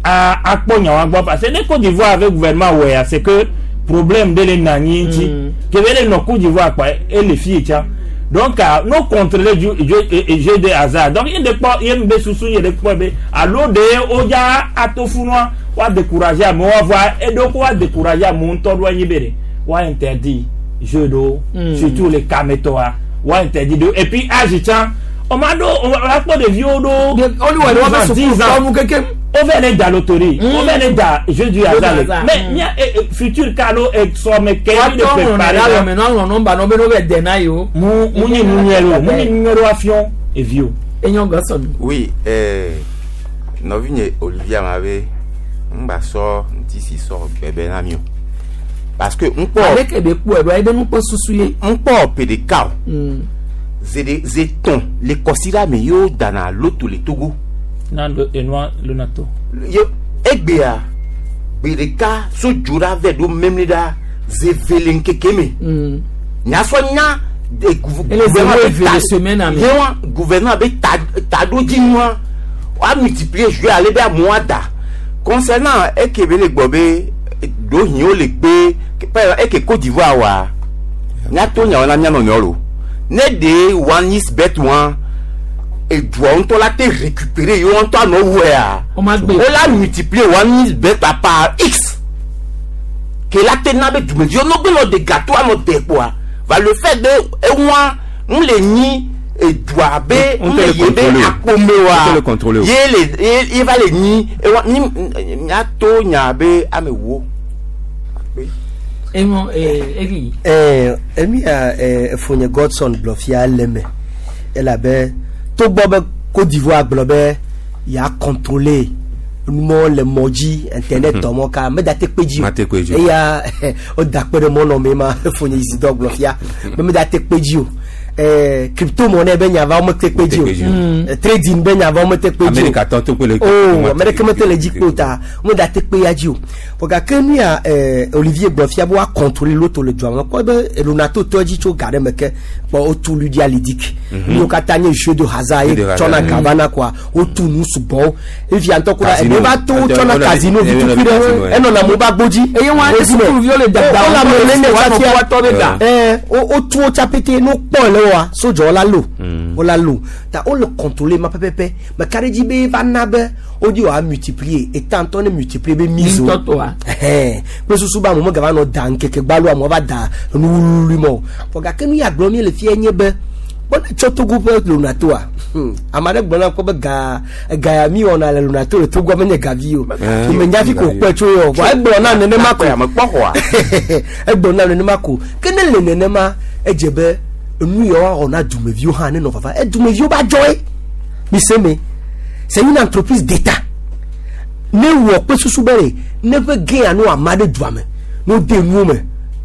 a akpɔ nyawa gbɔ parce que ne Côte d'Ivoire avec gouvernement wɔ ya c'est que problème de le na anyi ŋuti Mm. kebe le nɔ Côte d'Ivoire kpa ele fi yi tsã donc ah no contrôler ju jeu eh, jeu de hasard donc ye de kpɔ ye be susu ye de kpɔ be alo de o dza ato funua wa décourager amewo voa eɖewo ko wa décourager amewo ŋutɔ ɖo anyi be de wa interdit jeu ɖewo Mm. surtout le kametɔa wa interdit ɖewo et puis âge tsã ɔma ɖo ɔma kpɔ ɖeviwo ɖo Olu wɔ ɖe wɔn bɛ dix suku ans tɔnu keke. o vɛ ne da loterie Mm. o vɛ ne da jeu du hasard le hasard, mais mm. mia eh, eh, futur kalo sɔmɛ kɛ Wa mi de tɔ ŋlɔ préparer na la alɔ mɛ n'alɔ nɔmba nɔ be n'o bɛ dɛ n'a ye o. mu mu nyi nu nyɛ lo mu nyi nu nyɛ lo afiɔ evi o Enyɔ gɔsɔn. Oui, eh, nɔvinye Olivier ma be ŋgba sɔ ŋuti si sɔ gbɛbɛ na mi o. Parce que ŋkpɔ Ale ke be kpɔ ɛdɔ ebe nukpɔ susu ye. ŋkpɔ ƒe ɖeka o. Mm. Ze ze tɔn le kɔsiɖa me yewo dana loto le Togo. na lo enua lonato Ye egbea gbe ɖeka so dzo ɖa vɛ ɖo memli ɖa ze ve le ŋkeke me. Mm. Nyasɔ nya de gouv- Ele ze gouvernement wo be eve ta- le semaine ame. Yewa gouvernement be ta taɖodzinua wa multiplier jeu ale be amewo ada. Concernant eke be le gbɔ be ɖohiwo le gbe par exemple eke Côte d'Ivoire wa míato nyawo na mía nɔnɔewo lo. Ne ɖe one is bet one edua ŋutɔ la te récupérer yewo ŋutɔ anɔ wɔea O ma gbe. wo la multiplier one is bet par x ke la te na be dumeviwo no gbe nɔ de gâteau anɔ de kpoa va le fait de ewa nu le nyi edua be On nu te le le ye be contrôler o. akpome On wa te le contrôler o. ye le ye ye va le nyi ewa ni miato nya be ame wo. Enyɔ ee egi. Eh, emi ya eh, efonye Godson gblɔ fia le me elabe togbɔ be Côte d'Ivoire gblɔ be ya contrôler numɔ le mɔ dzi internet tɔ mɔ ka meda te kpe dzi o Mate kpe dzi o. eya o da kpe ɖe mɔ nɔ me ma efonye Isidore gblɔ fia be meda te kpe dzi o eh, crypto monnaie be nya va wo mete kpe dzi Mete kpe dzi o o. Eh, trading be nya va wo mete kpe dzi o Amerika tɔ to kpe le. oh ame ɖeke mete le dzi kpe o ta womeda te kpe ya dzi o vɔ gake nu ya eh, Olivier gblɔ fia be woa contrôler loto le dua me kpɔ be Lonato tɔ dzi tso ga ɖe me ke kpɔ wotu Lydia Ludic nuwo katã nye jeu de hasard ye Jeu de tsɔna hasard, ga vana koa wotu nu sugbɔwo efia ŋutɔ kura Casino. ebe va to tsɔna Ete- casino ete- vitukui ɖe casino, eh. enɔna mo ba gbodzi Eye wɔn ate sukuviwo le dada wo le ame nene wɔn fia tɔ be da. ɛ wo wotu wo tsa pete ne wokpɔ le woa sodzɔ la lo wo la lo ta wo le contrôler ma pɛpɛpɛ mɛ ka ɖe dzi be va na be wodi wa multiplier eta ŋutɔ ne multiplier be mise o Ŋutɔtɔa. ɛhɛn kple susu be amewo megava nɔ da ŋkeke gbalo amewo va da enu wluwlui ma o vɔ gake nu ya gblɔm mi le fia nye be kpɔ ne tsɔ Togo ƒe Lonatoa hmm, ame aɖe gblɔ na kpɔ be ga ga ya mi wɔna le Lonato le Togoa menye gavi o Eh, menya fi ko kpɔe tso yɔ vɔ egblɔ na nenema ko Ame kpɔ xɔa. egblɔ na nenema ko ke ne le nenema edze be enu ya woawɔ na dumeviwo hã nenɔ vava edumeviwo ba dzɔ ye mise me c'est une entreprise d'état ne wɔ kpe susu be ɖe ne ƒe gain no ama ɖe dua me ne wode nuwo me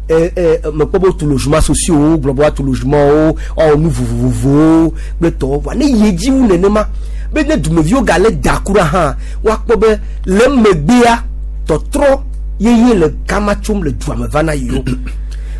mekpɔ be wotu logement sociaux wo gblɔ be woatu logement wo woawɔ nu vovovowo kple tɔwo vɔa ne yi edzi wu nenema be ne dumeviwo gale da kura hã woakpɔ be le megbea tɔtrɔ yeye le kama tsom le dua me va na yiwo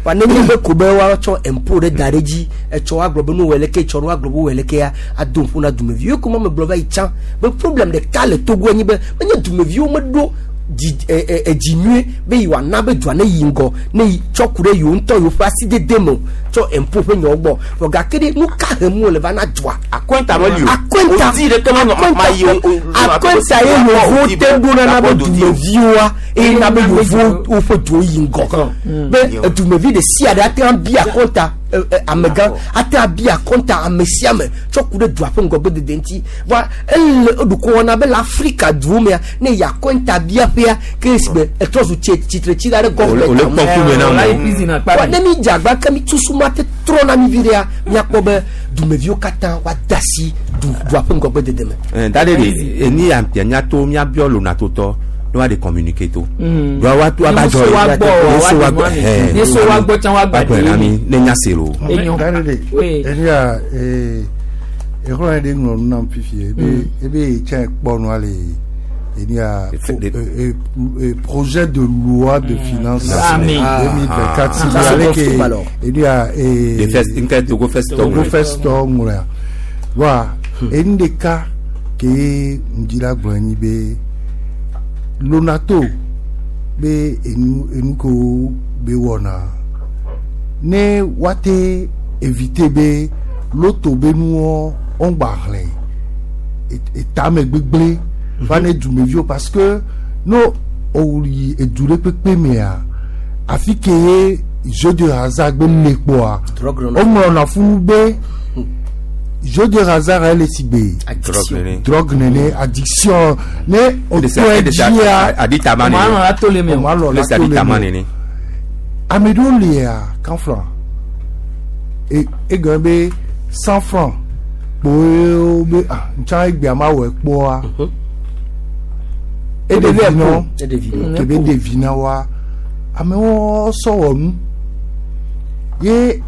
wa ne nye be ko be woatsɔ impôt ɖe da ɖe dzi etsɔ woagblɔ be nu wɔ leke etsɔ ne woagblɔ be wɔ lekea ado ŋku na dumeviwo ko ma me gblɔ va yi tsã be problème ɖeka le Togo enyi be menye dumeviwo meɖo dzi ɛ ɛ edzi nyuie be yi wòana be dua ne yi ŋgɔ ne yi tsɔ ku ɖe yewo ŋutɔ yewo ƒe asidede me o tsɔ impôt ƒe nyawo gbɔ vɔ gake ɖe nu ka hem wole va na dua akɔnta meli o akɔnta odi ɖeke ma nɔ ma yi o akɔnta ye yevowo te ɖona na be dumeviwoa eye na be yevowo woƒe duwo yi ŋgɔ be dumevi ɖe sia ɖe ate ŋu abi akɔnta ɛ, ɛ, amegã ate ŋu abi akɔnta ame sia ame tsɔ ku ɖe dua ƒe ŋgɔgbedede ŋuti vɔa ele eɖukɔ wɔna be le Afrika duwo mea ne yi akɔnta biaƒea ke si be etrɔ zu tsi tsitretsila ɖe Ole- ole gɔvmɛnt kpɔ ŋkume na la amewo. yi prison akpa Wa ne mi dze agba ke mi tusu ma te trɔ na mi vi ɖea miakpɔ be dumeviwo katã woade asi du dua ƒe ŋgɔgbedede me. da ɖe de eni ya miato miabiɔ lonatotɔ ne wa de communiquer to wa wa to aba jɔ Ne so wa gbɔ ne so wa wa gbɔ gbɔ ɛɛ ne so wa gbɔ tsã wa gba gblɔ na mi ne nya se lo Enyo. Dade de Oui. enya ee exlɔ ɖe ŋlɔ nu nam fifi ebe ebe tsɛ kpɔ nua le enya Fait des- projet de loi de finances Amen. deux mille vingt quatre si Ça, c'est ale bon ke film, alors. enya ee de fest nke Togo fest Togo fest tɔ ŋlɔa wa enu ɖeka ke ŋdi la gblɔ nyi be Lonato be enu enu ko be wɔna ne woate éviter be loto be nuwɔ ŋgba xlẽ etame gbegblẽ va ne dumeviwo parce que no oyi edu ɖe kpekpe mea afi ke ye jeu de hasard gbe le kpoa Drogue nɔnɔ. woŋlɔna funu be jeu de hasard ele si gbe Addiction. nene drogue nene addiction ne otɔe dzia aditama maa nɔ nene la to le mɛ o ɔmɔ alɔ le la se to le aditama me nene ame ɖewo lia kan franc e egɔme be cent franc kpoe be ah ntsã egbea ma wɔ kpoa eɖe vi nɔ Eɖe vi nɔ. kebe ɖevi na wa amewo sɔ wɔ nu ye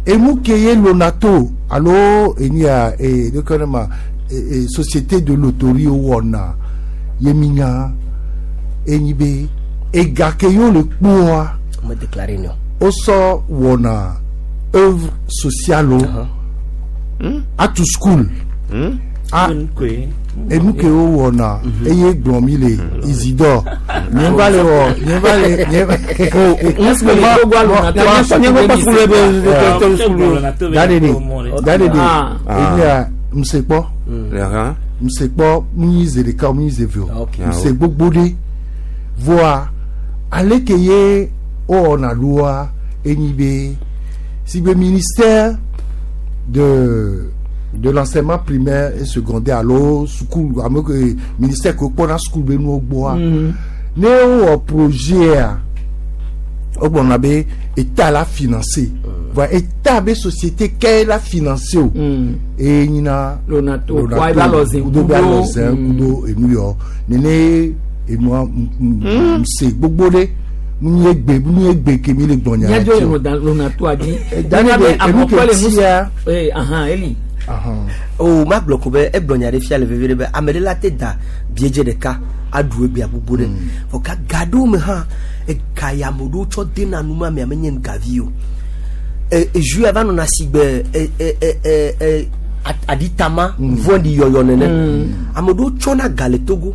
emu ke ye lonato alo eni ya ee ɖeke ne ma ee société de loterie wɔna ye mi nya enyi be ega ke yewo le kpoa Me déclaré nɔ. wosɔ wɔna œuvre sociale wo atu school a enu ke wo wɔna eye gblɔ mi le Isidore nye va le wɔ nye va le nye va da de de da de de Ah. enya msekpɔ Lɛhã. msekpɔ munyi ze ɖeka munyi ze eve o Ok. mse gbogbo ɖe voa aleke ye wowɔna ɖoa enyi be si be ministère de de l'enseignement primaire et secondaire alo sukulu ame ke ministère ke wokpɔna sukulu be nuwo gbɔa ne wowɔ projet a wogblɔna be état la financé voa état be société ke la financé o eye nyina Lonato, wa eba lɔ ze kudo be alɔ zɛ kudo. kudo enu yɔ nene enua mse gbogbo ɖe nu ye gbe nu ye gbe ke mi le gbɔnya Míadzo le Lonato dzi. Dani Míabe de enu amekɔ ke le nu tia ee ahan eli. ahan o ma gblɔ ko be egblɔ nya ɖe fia le veve ɖe be ame ɖe la te da biedze ɖeka aɖu egbea gbogbo ɖe vɔ ka ga ɖewo me hã ega ya ame ɖewo tsɔ dena nu ma mea menye gavi o e ezu ya va nɔna si gbe e e e e e a- aɖitama vɔ̃ɖi yɔyɔ nene ame ɖewo tsɔna ga le Togo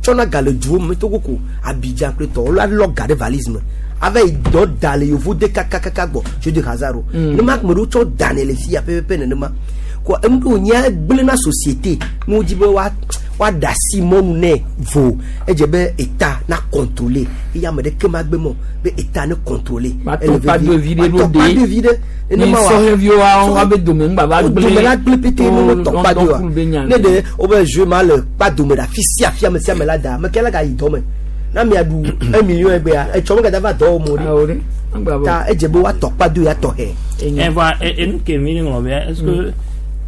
tsɔna ga le duwo me Togo ko Abidjan kple tɔwo la lɔ ga ɖe valise me ava yi dɔ da le yevu de kakakaka gbɔ jeu de hasard o nema ame ɖewo tsɔ danɛ le fia pɛpɛpɛ nenema ko enu ɖewo nye gblẽ na société ne wodzi be wa woaɖe asi mɔnu nɛ vo edze be état na contrôler eye ame ɖeke ma gbe mɔ be état ne contrôler Wa tɔkpa do vi ɖe ɖo tɔkpa ɖe. do vi ɖe Ni nenema wa sɔhɛviwo wa be dome ŋgba va wo gblẽ. dome la gblẽ pete ne wo tɔkpa do wa Lɔntɔn be nya. ne ɖe wobe jeu ma le kpa dome ɖe afi sia afi ame sia ame la da ame ke la ga yi dɔ me na mia ɖu un million egbea etsɔ me gada va dɔ wɔm o ɖe Awo ɖe. Ŋgba bɔ. ta edze be woatɔ kpa do ya tɔxɛ Enyo. Eva enu ke mi ŋlɔ be est-ce que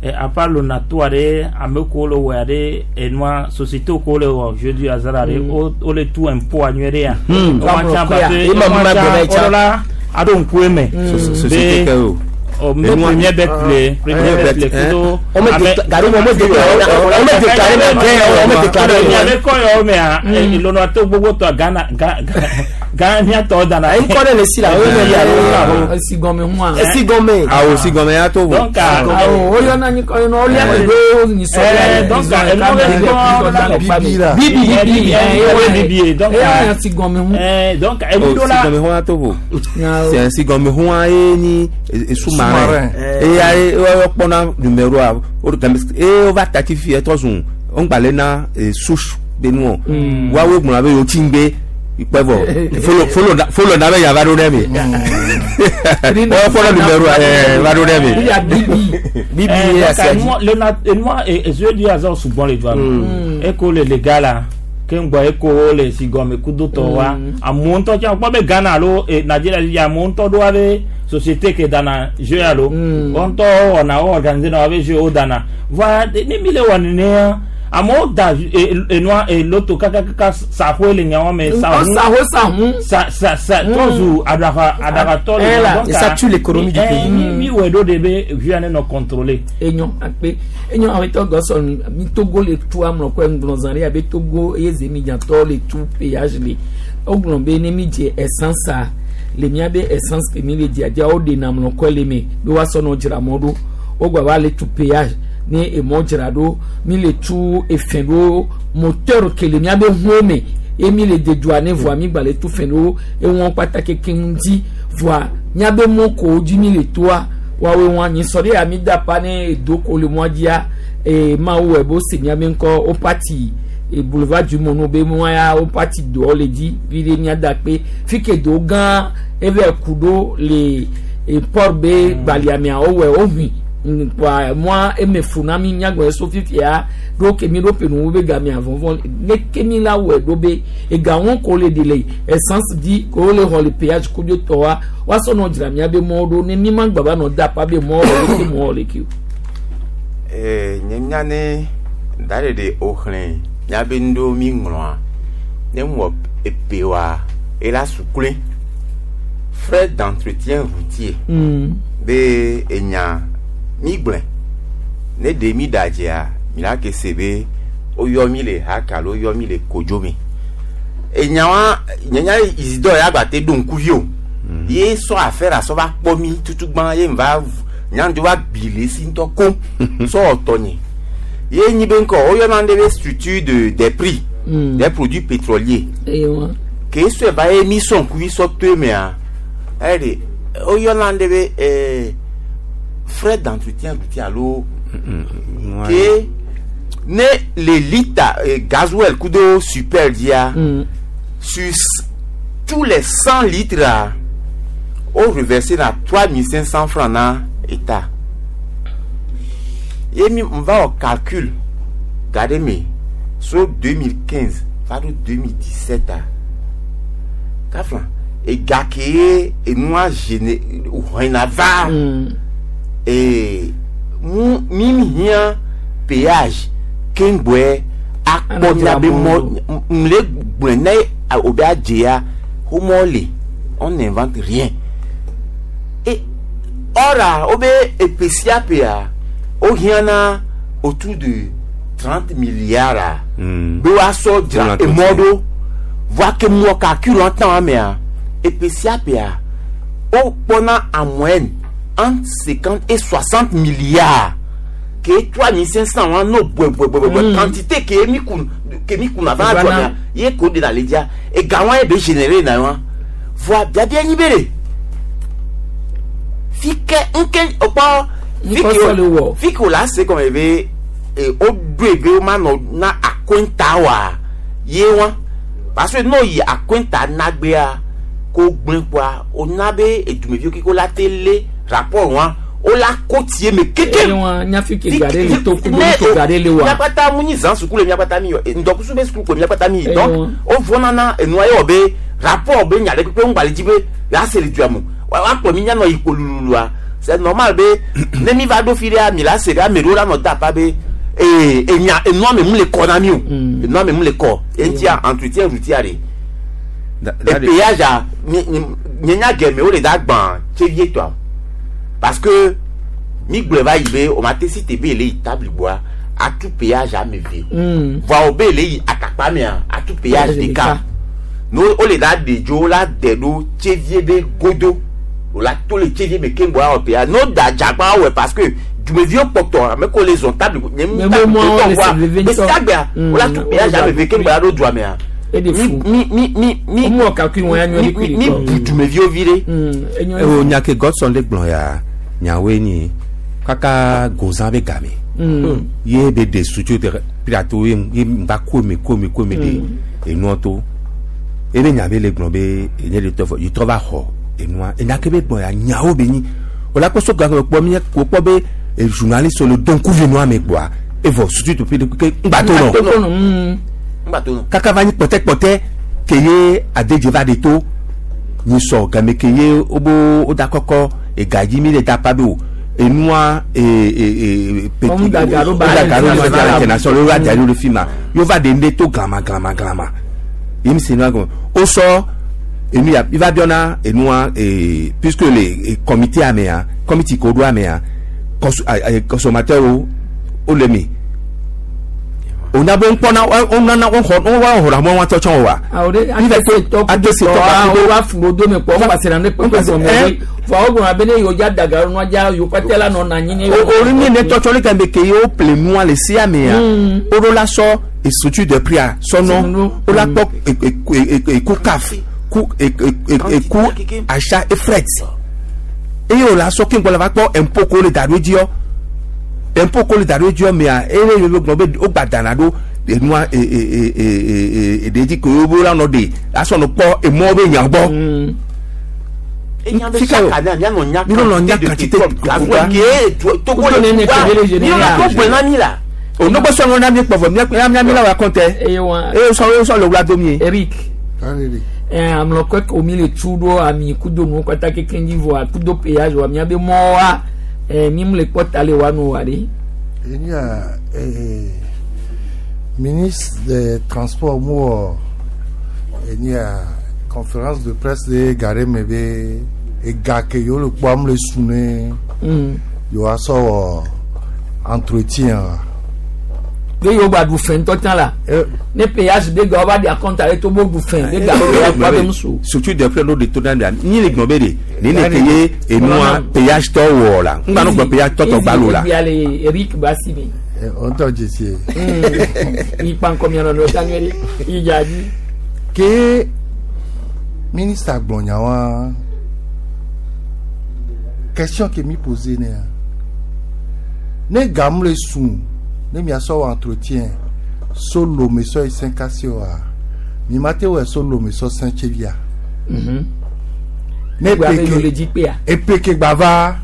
eh, à part Lonato aɖe ame kewo le wɔe aɖe enua société kewo le wɔ jeu du hasard aɖe wo wo le tu impôt nyuie ɖe ya. Wa Wa ŋlɔ parce que Ema ma gblɔ va yi tsã. la aɖo ŋku eme Société ke o. o mbe premier bet le premier bet le kudo On me déclare, on me déclare, on me déclare, on me déclare. ame kɔ yɔ mea ilona to gbogbo tɔ Ghana Ga- Ga- Ghana miatɔ dana Ŋkɔ ɖe le si la, o ye ya. esi gɔme hua Esi gɔme. Awo si gɔmɛ ya to vo. donc awo o yɔna nyi kɔ yɔna o lɛ do nyisɔ Eh, donc, eh, non, Bibi la. bibi bibi Bibi, eh bibi, donc, eh esi gɔme hu eh, donc Oh, enudo si la gɔmɛ hɔn ya to vo. C'est si gɔmɛ hɔn ye ni sous-marin. Sous-marin. Eya ye wo kpɔna numéro a o de game eye wova tati fi etɔ zun ŋgbalẽ na eh, souche be nuɔ. Woawo gblɔna be yewo tsi ŋgbe ikpɛ vɔ folo folo na folo na be yava ɖo ɖe mi. Wo kpɔna numéro a ɛɛ va ɖo ɖe mi. ya bibi Bibi Eh, ye donc, asia dzi. enua- le na- enua ezoe di azɔ sugbɔn le dua me eko le le ga la ke ŋgbɔ eko le si gɔme kudo tɔ wa amewo ŋutɔ tsã kpɔ be Ghana alo eh, Nigeria dzi amewo ŋutɔ ɖo abe société ke dana jeu alo wɔn ŋutɔ wɔna wo organiser na abe jeu wo dana voa ne mi le wɔ nenea amewo da eh, enua eh, loto kakakaka sahoe le nyawo me sahu saho sahu sa sa sa trɔzu aɖaxa aɖaxatɔ Eh le là, donc, et ça tue l'économie du eh, pays. mi mi wɔ ɖo de be via ne nɔ contrôler. enyo akpe enyo awetɔ gɔsɔ mi Togo le tu amlɔ kɔ ŋgblɔ zã ɖe abe Togo eye zemidzatɔ le tu péage le wogblɔ be ne mi dze essence a le miabe essence ke mi le dzia wo ɖena amlɔ kɔ le me be woasɔ nɔ dzra mɔ ɖo wogba va le tu péage ne emɔ dzra ɖo mi le tu efɛn ɖo moteur ke le miabe ʋuwo me ye mi le de dua ne voa mi gba le tu fɛn ɖo ewɔn kpata keke ŋuti voa miabe mɔ kowo dzi mi le toa woawoe wɔn anyi sɔ ɖe ya mi da pa ne edo ko le mɔa dzia ee mawu wɔ bo se miabe ŋkɔ wo pati e boulevard du mono be mɔa ya wo pati doɔ le dzi vi ɖe mia da kpe fi ke do gã eve ku ɖo le e port be gbaliamea wowɔe wohui kpoa mɔa eme fu na mi miagbɔ so fifia ɖo ke mi ɖo penu be gamea vɔvɔ ne ke mi la wɔe ɖo be ega wɔn ko le de le essence di ko le xɔ le péage ko dzo tɔ wa woasɔ nɔ dzra mia be mɔwo ɖo ne mi ma gba va nɔ da pa be mɔwo wɔ leke mɔwo leke o. Eh, nye nya ne da ɖe ɖe woxlẽ miabe nu ɖewo mi ŋlɔa ne ŋwɔ epe wa ela sukle frais d'entretien routier Mm. be enya mi gblẽ ne ɖe mi da dzia mi la ke se be woyɔ mi le haka alo woyɔ mi le kodzo me enya wa nye nya Isidore ya gba te ɖo ŋkuvi o ye sɔ affaire asɔ va kpɔ mi tutugbã ye va nyandzo va gbi le esi ŋutɔ koŋ sɔ ɔtɔ nye ye nyi be ŋkɔ woyɔna ɖe be structure de des prix Mm. des produits pétroliers Eye wa. ke sɔe va ye mi sɔ ŋkuvi sɔ to emea eyi de woyɔna ɖe be ɛɛ frais d'entretien routier alo ke ne le litre eh, gasoil kudo super dia Mm. sur s- tous les cent litres a o reversé na trois mille cinq cents francs na état ye mi n va wɔ calcul gade me so deux mille quinze va ɖo deux mille dix sept a kafla ega ke ye enua gene hɔna va Mm. ee mu mi mi hiã péage keŋgbɔe akpɔ miabe mɔ m le gblɔe ne o be adze ya wo mɔ le on n'invente rien et ɔra wo be epe sia pea wo hiã na autour de trente milliards a Mm. be woasɔ dzra Pour emɔ l'entretien. ɖo voa ke mɔ calcul ŋutɔ amea epe sia pea wo kpɔna en moyenne entre cinquante et soixante milliards ke trois mille cinq cents wa no bɔɛbɔɛbɔɛbɔɛ quantité ke mi kun ke mi kun ava Eva dzɔ na. mea ye ko de na le dzia ega wa ye be générer na wa voa biabia nyi be de fi ke nke okpɔ fi Ŋkɔ ke sɔ le wɔ. fi ke o la se gɔme be e o ɖoe be o ma nɔ na akonta wa ye wa parce que n'o yi akonta nagbea ko gblẽ kpoa o na be edumeviwo keke o la te lé rapport wa o la ko tie me keke Eye wa nyafi ke gare le to kudo ke gare le wa. miakpata mu nyi zan suku le miakpata mi yɔ ŋdɔkusu be suku ko miakpata mi yi Eh, donc ouais. o vɔna na enua ye wɔ be rapport be nya ɖe kpekpe ŋgba le dzi be yease le dua me wa akplɔ mi mianɔ yi kolululua c'est normal be ne mi va ɖo fi ɖea mi la se ɖe ame ɖewo la nɔ da pa be ee enya enua me mu le kɔ na mi o enua me mu le kɔ eŋutia entretien routier de Da- da- epéage a mi mi nye nya gɛmɛ o le da gbã tsevie tɔa parce que mi gblɔe va yi be o ma te si te be le yi tabli gbɔa atu péage ame ve Mm. voa o be le yi atakpa mea atu péage Péage ɖeka ɖeka. no o le da de dzo o la de ɖo tsevie be godo o la to le tsevie me keŋ gbɔ awɔ péage no da dzagba awɔe parce que dumeviwo kpɔtɔ ame ko le zɔn tabli nye Mais mu mo- mo- tabli le tɔ se veve voa ŋutɔ. gbesiagbea o la tu Mm, péage o ame ve keŋ gbɔ la ɖo dua mea E de mi fu. mi mi mi mi Omu ɔkakui wɔn ya nyɔ mi ɖe kui mi ɖe bu dumeviwo vi ɖe. Mm. Enyo ewo nya ke Godson le gblɔ ya nyawoe nyi kaka gozã be game Mm. ye be de sutsu de pirato ye ye ŋgba kome kome kome de enua to ebe nya be le gblɔ be enye de tɔ fɔ yi trɔ va xɔ enua enya ke be gblɔ ya nyawo be nyi o la kpɔ so gake kpɔ mi ko kpɔ be e journaliste le don kuvi nua me kpɔa evɔ sutsu to pi de ke ŋgba to nɔ Togo nɔ. Mm. ŋgba to nɔ. kaka va nyi kpɔtɛkpɔtɛ ke ye adedze va de to nyi sɔ game ke ye wobo woda kɔkɔ egadzi mi le da pa be o enua ee ee ee Ɔmu da garo ba woda garo international. ba international wo va da ɖo le fi ma ye wova de ŋɖe to glama glama glama ye mi se nua gɔme wosɔ enu ya i va biɔna enua ee puisque le e, comité amea comité ko ɖo amea cons a- a- consommateur wo wole mi onya be ŋkpɔna wonana woxɔ wo xɔna mɔ wɔn tsɔtsɔ wa Awo de Mi va atese tɔ atese tɔ awo kudo- wa fún do me kpɔ ŋgba sera ne kpekpe gɔmɛ Eh. we fɔ awo gblɔna be ne yewo dza daga nua dza yewo kpɛtɛ la nɔ na anyi ne o ori mi ne tsɔtsɔ le kan be ke ye wo ple nua le sia mea Mm. wo ɖo la sɔ estructure de prix a sɔnɔ Sɔnɔ. wo la kpɔ eku caf ku eku achat et fret eye wo la sɔ keŋgbɔ la va kpɔ impôt ko le da ɖo dziɔ impôt ko le da ɖo dziɔ mea eye ye gblɔ be wo gba dana ɖo enua e e e e e e ɖe dzi ko wo la nɔ de asɔ nɔ kpɔ emɔ be nya gbɔ. Mm. Enya be Fika chaque o. année, mianɔ nya Mi nɔ nya quantité quantité de pétrole. Gazoil ke to- Togo Kudo le nene wa. kebele Mi général. nɔ to gblɔe na mi la. onogbe sɔŋɔ na mi kpɔ vɔ mia mia mi la wa kɔntɛ Eye wa eye sɔ eye sɔ le wula domi ye. Eric Allez, ɛ amlɔkɔ ko mi le tu ɖo ami kudo nuwo katã kekeŋ dzi vɔa kudo péage wa miabe mɔwoa ɛ mi mu le kpɔ ta le wa nu wa ɖe. Il y a eh, ministre des Transports, moi, il y a conférence de presse de Gare Mebe et Gake, yo le Kwam le Souné, Mm. yo a so entretien. Be yewo gba ɖu fɛn ŋutɔ tsã la Eh, ne péage be ga wo va ɖe akɔnta ɖe to bo ɖu fɛn be ga wo va be ŋusu. surtout de près l'eau de to dan ni le gbɔn be de ni ne ke ye enua péage tɔ wɔ la n gba no gbɔ péage tɔ tɔ gba lo la Ebi ale Eric Basi mi. eh, on t'a dit c'est- Ikpa ŋkɔ mia nɔ nɔ ta nyuie ɖe idza dzi. Ke ministre Agbonyawa, question que mi posé ne ne gam le sun ne mi aso entretien so lo me so cinq wa mi mate we so lo me so cinq chevia ne Gba be yewo le peke dzi kpea. e peke gbava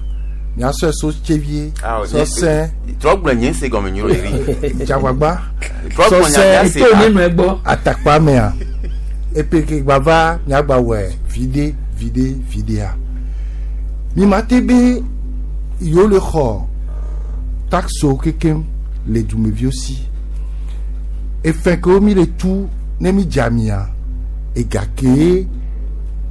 mi aso so chevie so cinq Trɔ gblɔ nye se gɔme nyo le ri. jagbagba Trɔ So gblɔ nya sɛ- mia se To la. ne nɔ egbɔ. atakpa mea epeke gbava miagba wɔ vide vide videa mi ma te be yewo le xɔ taxo kekem le dumeviwo si efe kewo mi le tu ne mi dza mia ega ke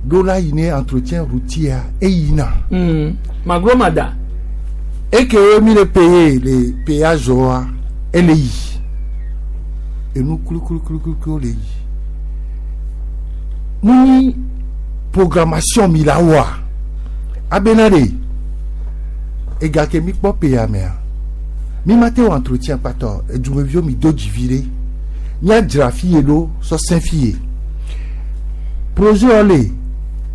ɖo la yi ne entretien routier eyina Mm. Magro mada. ekewo mi le paye le péage wa ele yi enu kulukulukulukulu le yi muni programmation mi la wa abena de ega ke mi kpɔ peya mea mi ma te wɔ entretien kpatɔ edumeviwo mi do dzivi ɖe míadzra fi ye ɖo sɔ sẽ fi ye projet wo le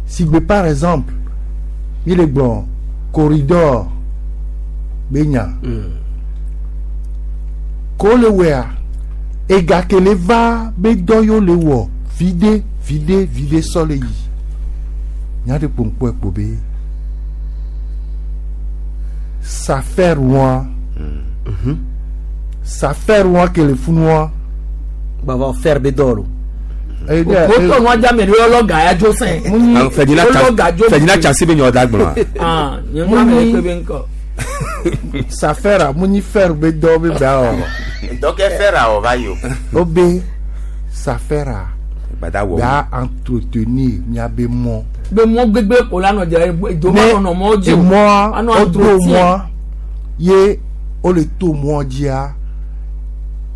sigbe par exemple mi le gblɔ corridor be nya ko le wɔa ega ke le va be dɔ yewo le wɔ vide vide vide sɔ le yi nya ɖe kpoŋkpɔ kpo be safer wɔa safer wɔa ke le funua gbava fer be dɔ lo Wotɔ nua dza me ɖe yɔ ga ya dzo sɛn. Ferdinand Wolɔ ga dzo. Ferdinand Tchansi be nyɔ da gblɔ Ah, nye ŋu ame ɖe kpe be ŋkɔ. safer a mu nyi fer be dɔ be ba o Dɔkɛ fɛr awɔ va yi o. o be safer a gbada wɔ b'a entretenir miabe mɔ Be mɔ gbegbe ko la nɔ dzra edo ma nɔ mɔ dzi o. Emɔa Anɔ wodo entretien. mɔa ye wole to mɔa dzia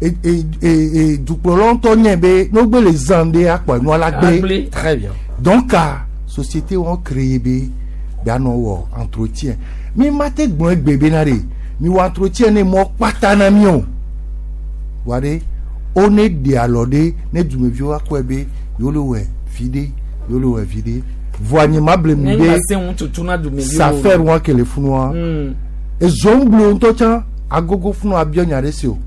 e e e e dukplɔlawo ŋutɔ nye be ne wogbe le zã ɖe akpɔ enua la gbe. Agble. Très bien. Donc a société wɔn créé be be anɔ wɔ entretien mi ma te gblɔ egbe bena ɖe mi wɔ entretien ne mɔ kpata na mi o wa ɖe wo ne ɖe alɔ ɖe ne dumeviwo akɔe be yewo le wɔ vi ɖe yewo le wɔ vi ɖe voa nye ma ble mi Ne be ŋgba se ŋu tutu na dumeviwo. safer wɔn ke le funua Mm. ezɔŋglo ŋutɔ tsã agogo funua abiɔ nya ɖe si o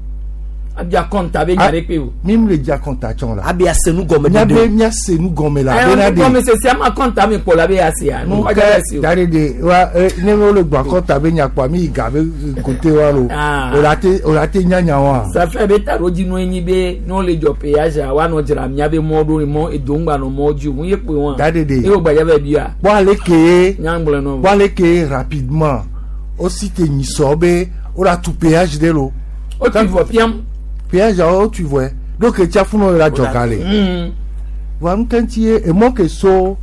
Abia kɔnta be nya ɖe kpe o. mi le dza kɔnta tsɔ la Abi ase nu gɔme miabe ɖeɖe. miase nu gɔme la Ɛ bena ɔnu ɖe gɔmesese ama kɔnta mi kpɔ la be ya se ya. Nu kɔdza ya se o. dari de wa eh, ne wole gbɔ akɔta be nyakpɔa mi yi ga be kote wa lo Ah. o la te o la te nyanya wa Safe be taɖodzinu enyi be ne wole dzɔ péage a woanɔ dzra mía be mɔ ɖo mɔ edo ŋgba nɔ mɔ dzi o ŋu ye kpoe wɔn. Dari de. Eye wògbadza va bia. kpɔ ale ke Nyagblɔ nɔ. kpɔ ale ke rapidement o si te nyisɔ be o la tu péage de lo O ti vɔ piam. péage awo tu vɔe do ke tsa funu la dzɔ ga le Mm. wa ŋutɛntsi ye emɔ ke so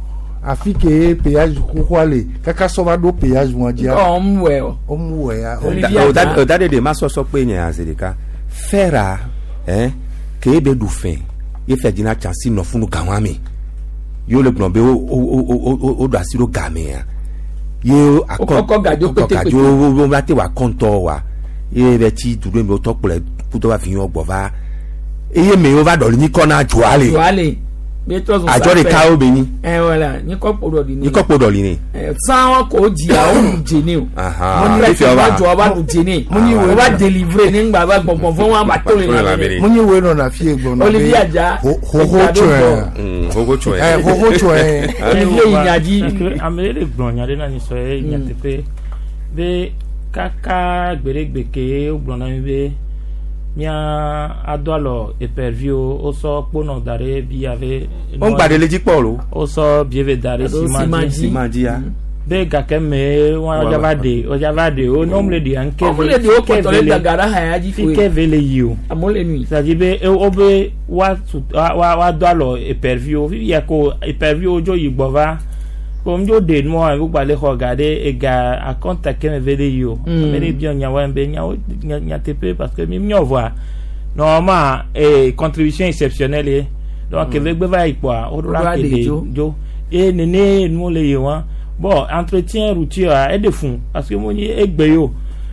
afi ke péage xoxoa le kaka sɔ va ɖo péage wɔn dzia Ɔ mu wɛ o. o mu wɔ ya o Olivier Adja. o da de de ma sɔsɔ kpe nye aze ɖeka fɛra ɛn ke be ɖu fɛn ye fɛ dzina tsansi nɔ funu gawa me ye le gblɔ be wo wo wo wo wo ɖo asi ɖo gamea ye akɔ Wokɔkɔ gadzo wokɔ pété gadzo wo wo va te wa kɔntɔ wa ye bɛ tsi du ɖe me wotɔ kplɔe kudo va fi yɔ gbɔ va eye me wo va ɖɔli nyikɔ na dzoa le Dzoa le. Be trɔ zɔn adzɔ ɖeka wo be nyi Ɛ wala nyikɔ kpo ɖɔ ɖi ne. nyikɔ kpo ɖɔli ne Ɛ san wa ko dzia o ɖu dze ne o. Ahan, Mo fifia ní wa. wa dzɔ wa ɖu dze ne. Mo ní O va délivrer ne ŋgba va gbɔgbɔ vɔn wa ba to le Ba to le la la me. me. mu nyi wo nɔna fie gbɔna Olivier Adja, xoxo Edza ɖo tsɔe gbɔ. Mm, xoxo tsɔe ɛ xoxo tsɔe Olivier yi nya dzi. Parce que ame ɖe le gblɔ nya ɖe na nyisɔ ye nyateƒe be kaka gbeɖegbe ke wogblɔ na mi be mía ado alɔ eperviwo wosɔ kponɔ da ɖe bi ave wo ŋgba ɖe le dzi kpɔ lo wosɔ bieve da ɖe Alo sima ciment dzi dzi. sima dzia be gake me woadza va ɖe woadza va ɖe wo ne womle ɖe ŋke Ɔmu le ɖe wo kpɔtɔ le gaga ɖe haya dzi fi koe. ke ve le yi o Amewo le nui. c'est-à-dire be e- wobe woatu wa wa woado alɔ eperviwo fifia ko eperviwo dzo yi gbɔ va ko ŋdzo ɖe nua wogba le xɔ ga ɖe ega akɔnta keme ve ɖe yi o Mm. ame ɖe biɔ nyawoa be nyawo nya- nyateƒe parce que mi miɔ vɔa normalement eh, contribution exceptionnelle ye donc eve gbe va yi kpoa woɖo la Woɖo ke aɖe ɖe dzo. dzo ye nene nuwo le yi wa bon entretien routier a eɖe fun parce que mo nyi egbe yi o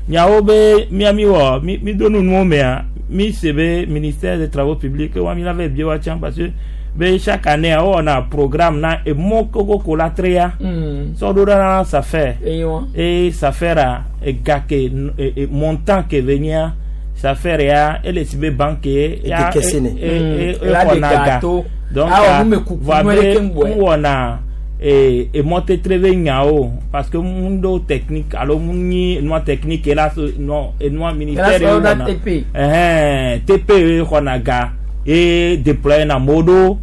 nyawo be mía mi wɔ mi mi do nu nuwo mea mi se be ministère des travaux publics wa mi la va bie wa tsã parce que be chaque année wowɔna programme na emɔ koko la trea Mm. sɔ ɖo ɖa na safer Eye wa. et safer ega ke e, e, montant ke ve nyia safer ya ele si be banque ya Edekese ne. e e e La de xɔna ga gâteau. donc Awɔ, nu me kuku, voa nu be ɖeke ŋgbɔe. ŋwɔna e emɔtetre be nyawo parce que ŋu ɖo technique alo ŋu nyi enua technique la so nɔ enua ministère Ela sɔ ye ɖo wɔna T P. ɛhɛn T P ye xɔna ga ye déployer na amewo ɖo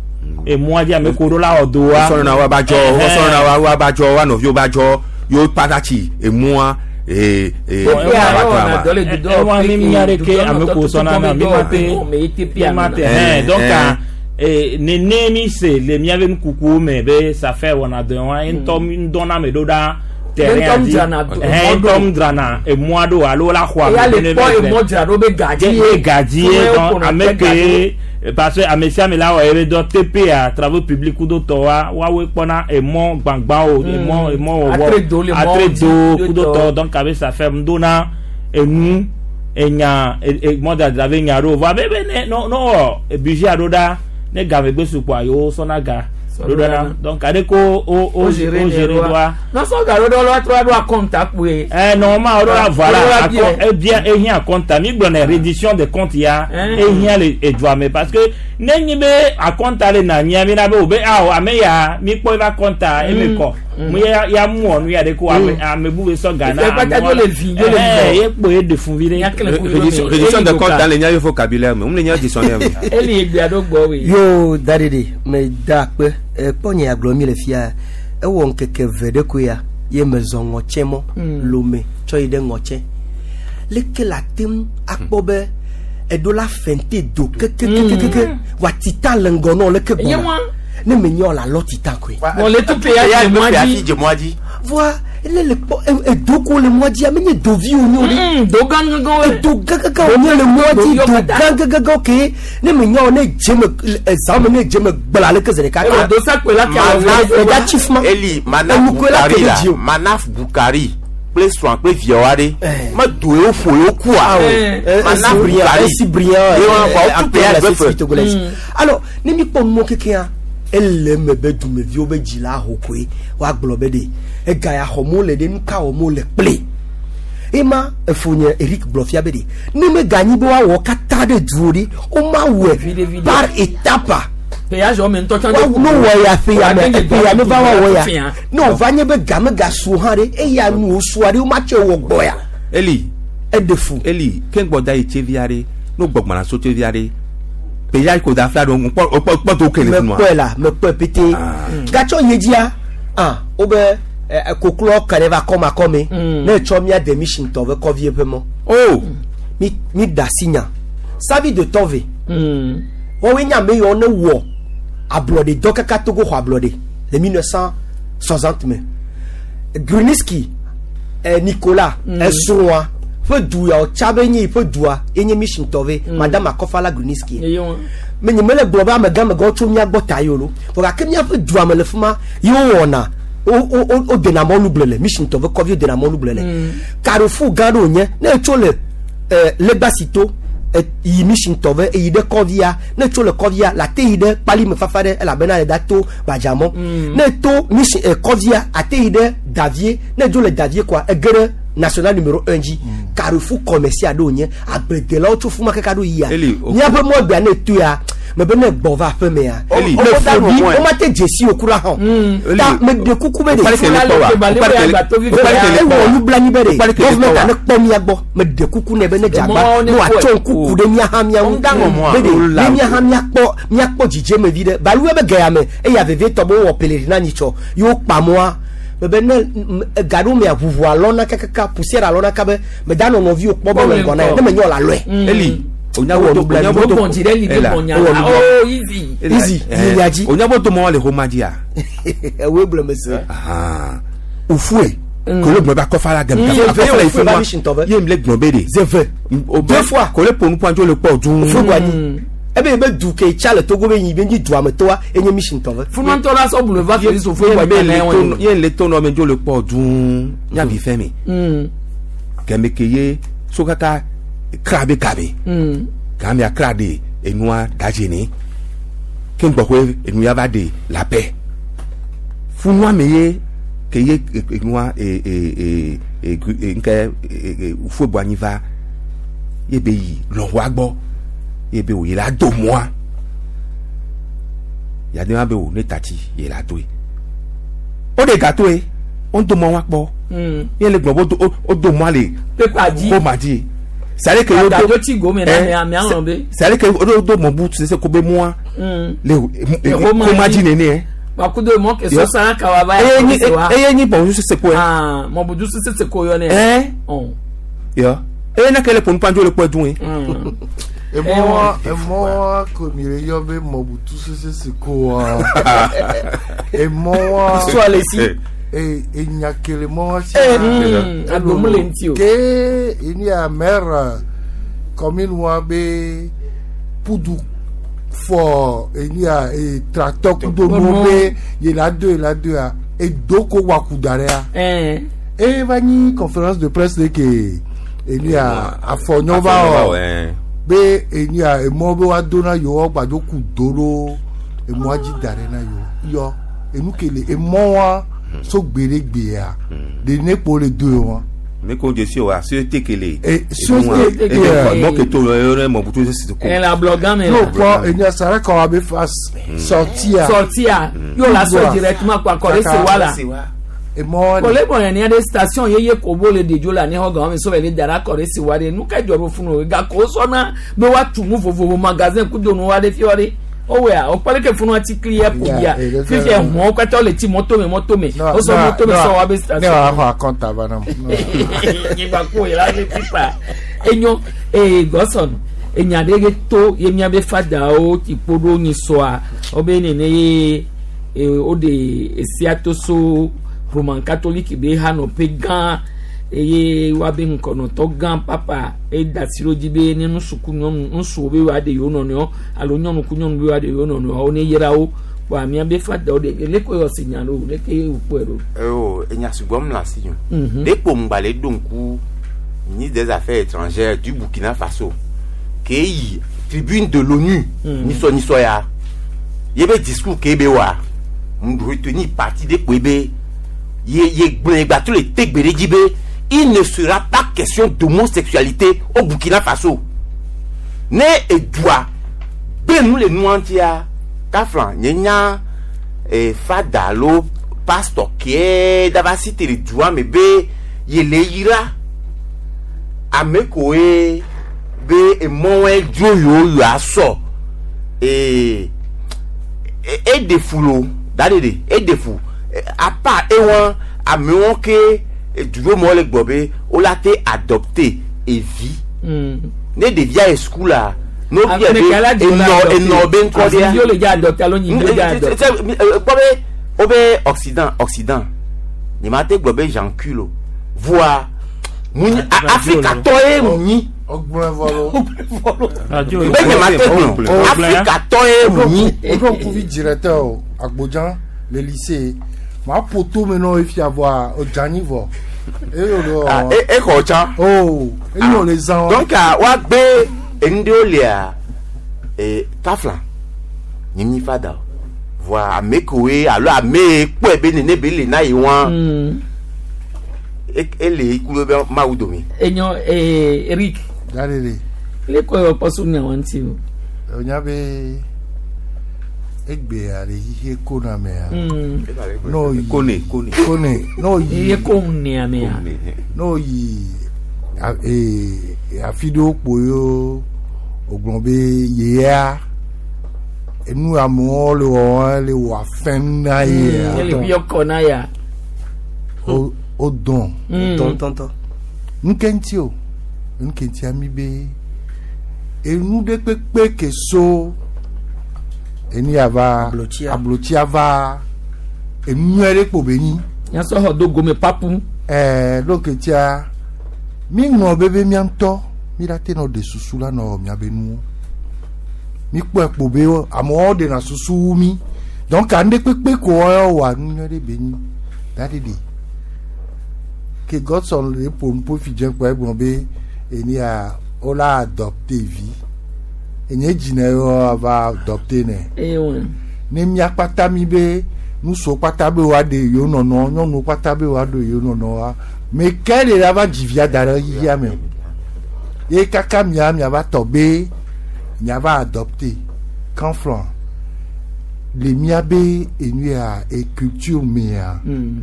emɔa dzi ame ko ɖo la wɔ do wa wosɔrɔ na wa ba dzɔ wosɔrɔ na wa wa ba dzɔ wa nɔviwo ba dzɔ yewo kpata tsi emua ee ee T P a wa yɔ wa na ma. dɔ le Eh, dudɔ eh, wa mi nya ɖe ke ame ko sɔna na mi ma te mi ma te hɛn donc Eh, eh, nene mi se le miabe nukukuwo me be safer wɔna dɔ wa ye ŋutɔ mi ŋdɔna me ɖo ɖa terrain Ŋutɔ dzi dzrana do- ɛhɛn mɔ ŋutɔ ɖo. mu dzrana emɔa ɖo alo la xɔ Eya ame le ne kpɔ va zɛ. emɔ dzra ɖo be gadzi ye gadzi ye Fún donc ẹ ame kò nà ke parce que ame sia ame la wɔ ebe dɔ T P A travaux publics kudo tɔ wa woawoe kpɔna emɔ gbãgbãwo emɔ emɔ wɔwɔ Atre do le mɔ atre do dzi, kudo do tɔ tɔ. Donc abe safer ŋdona enu enya e- e- mɔdadra be nya ɖo vɔ abe be ne no no wɔ budget aɖo ɖa ne game gbe sukua yewo sɔna ga Sɔna ɖo ɖa na ga. donc aɖe ko o o O géré o géré doa. Nɔsɔ ga ɖo ɖe lɔ trɔ ɖo akɔnta kpoe. Eh, normalement, on aura, voilà, Voilà, accom- bien. eh bien, eh bien, compte, mi gbɔnɛ reddition des comptes ya, Hein. eh bien le edua me parce que ne nyi be akɔnta le na nyia mi na be o be ah ame ya mi kpɔ eva kɔnta eme kɔ mu ya ya mu wɔ nu ya de ko ame ame bu be sɔ ga na Ife kpata amewo dzo le vi, dzo le Eh, vi. ye kpo ye de fun vi ɖe. Nyakle ku Reddition reddition de compte dans les nya vocabulaire me, le nya dictionnaire me. Eli egbea ɖo gbɔ we. Yo daɖeɖe me da akpe ekpɔ nye agblɔ mi le fia ewɔ ŋkeke ve ɖe koe ya ye mezɔ ŋɔtsɛ mɔ lome tsɔ yi ɖe ŋɔtsɛ leke la te ŋu akpɔ be eɖo la fɛnte do kekekekeke wa tita le ŋgɔ nɔ leke Enye gbɔna wa. Ne me nyɔ la lɔ titan koe. Bon, le tout péage de afi moadi. dze mɔa dzi Voa ele le kpɔ e- edoko le mɔa dzia menye dovi wo nyo ɖe. Do gangan we. Edo gãgãgã wo nye le mɔa dzi Do do kata. gãgãgã ke ne me nyɔ ne dze me ezã me ne dze me gblã leke zi ɖeka E do sa kpe la ke Manaf- awo. Eda tsi fuma. Eli Manaf Enukoe la Bukari ke ɖe la dzi o. Manaf Bukari kple srɔ̃a kple viawo aɖe Eh. medo yewo ƒo yewo kua Eh. Manaf Bukari Bukari si brillant Ye wɔn kɔ, wotu péage la be société fe. togolaise. Alors ne mi kpɔ numɔ kekea ele me be dumeviwo be dzi la ho koe woagblɔ be ɖe ega ya xɔm wole ɖe nu ka wɔm wole kple ema efonye Eric gblɔ fia be ɖe ne meganyi be woawɔ katã ɖe duwo ɖe womawɔe Vide, vide. par étape Péage o me ntɔ tsã. wa no wɔ ya ƒe ya me eƒe ya me va wa wɔ ya Fia. ne wòva nye be game gasu hã ɖe eya nu wòsua ɖe womatsɔe wɔ gbɔ ya Eli eɖe fu Eli ke ŋgbɔ da yi tsevi aɖe no gbɔgbɔna so tsevi aɖe péage ko da fila ɖo ŋkpɔ kpɔ kpɔ to kele funua. mekpɔe la mekpɔe pété gatsɔ ye dzia ah wobe ɛ, ɛ, koklɔ ka ɖe va kɔma kɔme Mm. ne etsɔ mía demission tɔ ve kɔvi eƒe mɔ o mi mi da si nya savi de tɔve Mm. wɔwoe nye ame yiwo ne wɔ ablɔɖe dɔ kaka Togo xɔ ablɔɖe le mille neuf cent soixante me Gruniski ɛ Nicolas esrɔ̃a ƒe du ya wòtsa be nye yiƒe dua ye nye mission tɔve madame Akɔfala Gruniski Ye wɔn. me nye mele gblɔ be amegãmegãwo tso mía gbɔ ta yi o lo vɔ gake míaƒe dua me le fi ma ye wowɔna wo- wo- wo- wodena mɔlu gblẽ le mission tɔ ƒe kɔvi wodena mɔlu gblẽ le carrefour gã ɖe wònye ne etso le eh, legbasito eh, yi mission tɔ ve eyi ɖe kɔvia ne etso le kɔvia la te yi ɖe kpalime fafa ɖe elabena le da to gbadzamɔ ne eto mission eh, kɔvia ate yi ɖe davie ne edzo le davie koa ege ɖe national numéro un dzi carrefour commercial ɖe wònye agbledelawo tso fuma kaka ɖo yia Eli, o- míaƒe mɔgbea ne eto ya mebe ne gbɔ va aƒe mea Eli. ne O- o- fobi o- womate dzesi o kura hã o. Eli, ta meɖe kuku be o- ɖe o- Fula le ke ba le be agbato vivi o- ya. ewɔ nublanui be ɖe Okpali kele gɔvmɛnta kpɔ wa. ne kpɔ mía gbɔ meɖe kuku nɛ be ne dze agba Emɔwo ne ne wòatsɔ kpɔe. ŋku ku ɖe mía hã mía ŋu Ŋdaŋɔ mɔa. be ɖe Ola. ne mía hã míakpɔ míakpɔ dzidzeme vi ɖe baluwe be gaya me eya vevietɔ be wowɔ pelerina nyitsɔ ye wokpa mɔa mebe ne m- ega ɖewo mea ʋuʋu alɔna kakaka poussière alɔna kabe meda nɔ nɔviwo kpɔ be Kpɔ le le ŋgɔ na ye ŋgɔ. ne menyɔ la lɔe Eli Ewɔ nublanui. Do gbɔn dzi ɖe li de Ela. gbɔn nya. Ewɔ nublanui. Oh easy. Easy, yi nya dzi. onyaboto mɔ le xɔma dzia. ewoe gblɔ me se ufue kole gblɔ be akɔfa la gɛmɛ Mm. akɔfa la Ufue yi va mission tɔ fún be. wa ye mi le gblɔ be de. zeve Deux fois. kole ponu pɔnjo le kpɔ dun. ufue gbanyi ebe ebe du ke tsa le Togo be yi be nyi dua me toa enye mission tɔ ve Funua ŋutɔ la sɔ boulevard Félix Houphouët ye Boigny le na to wɔn. ye le to nɔ me dzo le kpɔ dun nyavi fɛn mi Mm. gɛmɛ ke ye so kaka kra be gabe Mm. gamia kra de enua dadze ni ke ŋgbɔxɔe enua va de la paix funua me ye ke ye enua e e e e e ŋkɛ e e Houphouët Boigny va ye be yi lɔ̃xoa gbɔ ye be wò ye la do mɔa yade ma be wò ne tati ye la doe o de gatoe o do mɔ wa kpɔ Mm. ye le gblɔ be o do o do mɔa le Pepa dzi. ko ma di c'est que Agbado tsi gome na ame ame alɔ be. c'est que o do mɔ bu sese ko be mɔa Mm. le Le ko ma ko ma dzi. di nene Wakudo mɔ ke Yɔ. sɔsɔ kawa va eye ya nyi kɔ se wa. eye nyi bɔn sese ko yɛ Ah, Mobutu Sese Seko yɔ ne. ɛ Ɔn. yɔ eye ne ke le ponu pandzo le kpɔ dun ye Mm. Emɔ emɔ ko mi le yɔ be Mobutu Sese Seko wa. Emɔ wa. histoire le si E enya kele mɔ wa si. Mm. Agbomu le ŋuti o. Ke eni a maire commune wa be pudu fɔ eni a e tracteur kudo nu be yela do yela do ya edo ko wa ku da ɖe ya. Ɛn. E va nyi conférence de presse de ke eni a afɔnyɔ va wɔ. Be eni a emɔ be wa do na yewoa gbadzo ku do ɖo emɔa dzi da ɖe na yewo yɔ enu ke le emɔ wa so gbeɖegbea ɖe ne kpo le do ye wa mi ko jesi o a société kele Eh, société kele. mɔ ke to le yɔrɔ Mobutu Sese Seko Ɛn la blɔgan me n'o la. kpɔ eni a sara kɔ wa be fa sortia Sortia. Yóò la sɔ directement kɔ akɔre se wa la. emɔ wa Kɔle bɔn yɛn ni de station yeye kobo le dedzo la ni xɔ gɔmɛ sɔfɛ le dara kɔre se wa de nu ka dzɔ ɖo funu o gake sɔna be wa tu nu vovovo magasin kudo nu wa de fi wa de owea o kpɔle ke funu ati kli yɛ Ya, ƒo bia eh, le fifia fɛ- hɔn katã le ti mɔto me mɔto me o sɔ mɔto me sɔ wa be ne station wa xɔ akɔnta va nam nyigba ko yɛrɛ ame tipa enyo ee gɔsɔn enya ɖe ge to ye miabe fadawo ti kpo ɖo nyi sɔa wo be nene ye e o de esia to so Roman Catholic be ha nɔ ƒe gã eye woabe ŋkɔnɔtɔ gã papa eda si ɖo dzi be ne ŋutsu ku nyɔnu ŋutsuwo be woaɖe yewo nɔnɔewo alo nyɔnu ku nyɔnu be woaɖe yewo nɔnɔewo ne yra wo kpoa miabe fadawo ɖe leke yɔ si nya ɖo leke wòkpɔe ɖo. Oh, enya sugbɔ mu le asi nyo. Mhm. Ɖekpo ŋgba le ɖo ŋku ministre des Affaires étrangères du Burkina Faso ke yi tribune de l'ONU Mm. nisɔ nisɔ ya ye be discours ke be wa ŋu retenir parti ɖekpo be ye ye gblẽ gba to le te gbe ɖe dzi be il ne sera pas question d'homosexualité au Burkina Faso ne edua gbe nu le nua ŋutia kafla nye nya eh, fada alo pastor ke dava si te le dua me be yele yira ame koe be emɔwɔe dzro yewo yewoa sɔ ee eɖe fu lo da ɖe ɖe eɖe fu apa ewɔ amewo ke duro le gbɔ be wola te adopter evi Mm. ne ɖevia yi sukula ne wo bia Ame be ka la dzi enɔ enɔ be ŋkɔ ɖea Afi le dza adopter alo nyi le dza adopter. kpɔ be wo be occident occident nye ma te gblɔ be j'encule o voa mu nyi Ah, afrikatɔ ye mu nyi Ọgbọ́n vɔ lo. radio be nye ma te gblɔ Oh, afrikatɔ ye mu nyi O ɖo ŋkuvi directeur o Agbodjan le lycée. Ma poto me nɔ efia vɔa o dze anyi vɔ. Eye o le Ah, wɔ. e exɔ tsã Oh, eye o le zã. donc ah, woagbe enu ɖewo lia eh, kafla nye nyi fada o voa ame koe alo ame ye kpɔe be nene be le na ye wa Mm. e- ele ku ɖe be mawu dome Enyo eh, Eric Da ɖe ɖe. leke yɔ kpɔ so nyawo ŋuti o. O nya be egbea le xixe kona mea. Mm. N'o yi Kone, kone. kone n'o yi Iye ko nea mea. Kone. n'o yi a- ee afi ɖewo kpo yewo o gblɔ be yea enu amewo le wɔm le wɔ afɛn na yea. Ele bi yɔ na ya. O o dɔn. Mm. tɔntɔntɔ Nuke ŋuti o nuke ŋuti ami be enu ɖe kpekpe ke so enu ya va Ablotsia. ablotsia va enu nyuie ɖe kpo be nyi Nyasɔ xɔ do gome papu. ɛɛ ɖo ke ŋutia mi ŋlɔ be be mía ŋutɔ mi la te nɔ ɖe susu la nɔ miabe nuwo mi kpɔe kpo be amewo ɖena susu wu mi donc anu ɖe kpekpe ko wɔa nu nyuie ɖe be nyi da ɖe ɖe ke Godson le ƒo nu ƒo fi dze kpɔ egblɔ be eni ya wola adopte vi enye dzi ne va adopte ne Eye wɔn. ne mía kpata mi be nusuwo kpata be woaɖe yewo nɔnɔ nyɔnuwo kpata be woaɖe yewo nɔnɔ wa me ke le la va dzi via da ɖe xixia me o ye kaka mia miava tɔ be miava adopte kanflɔ le mía be enu ya e culture mea Mm.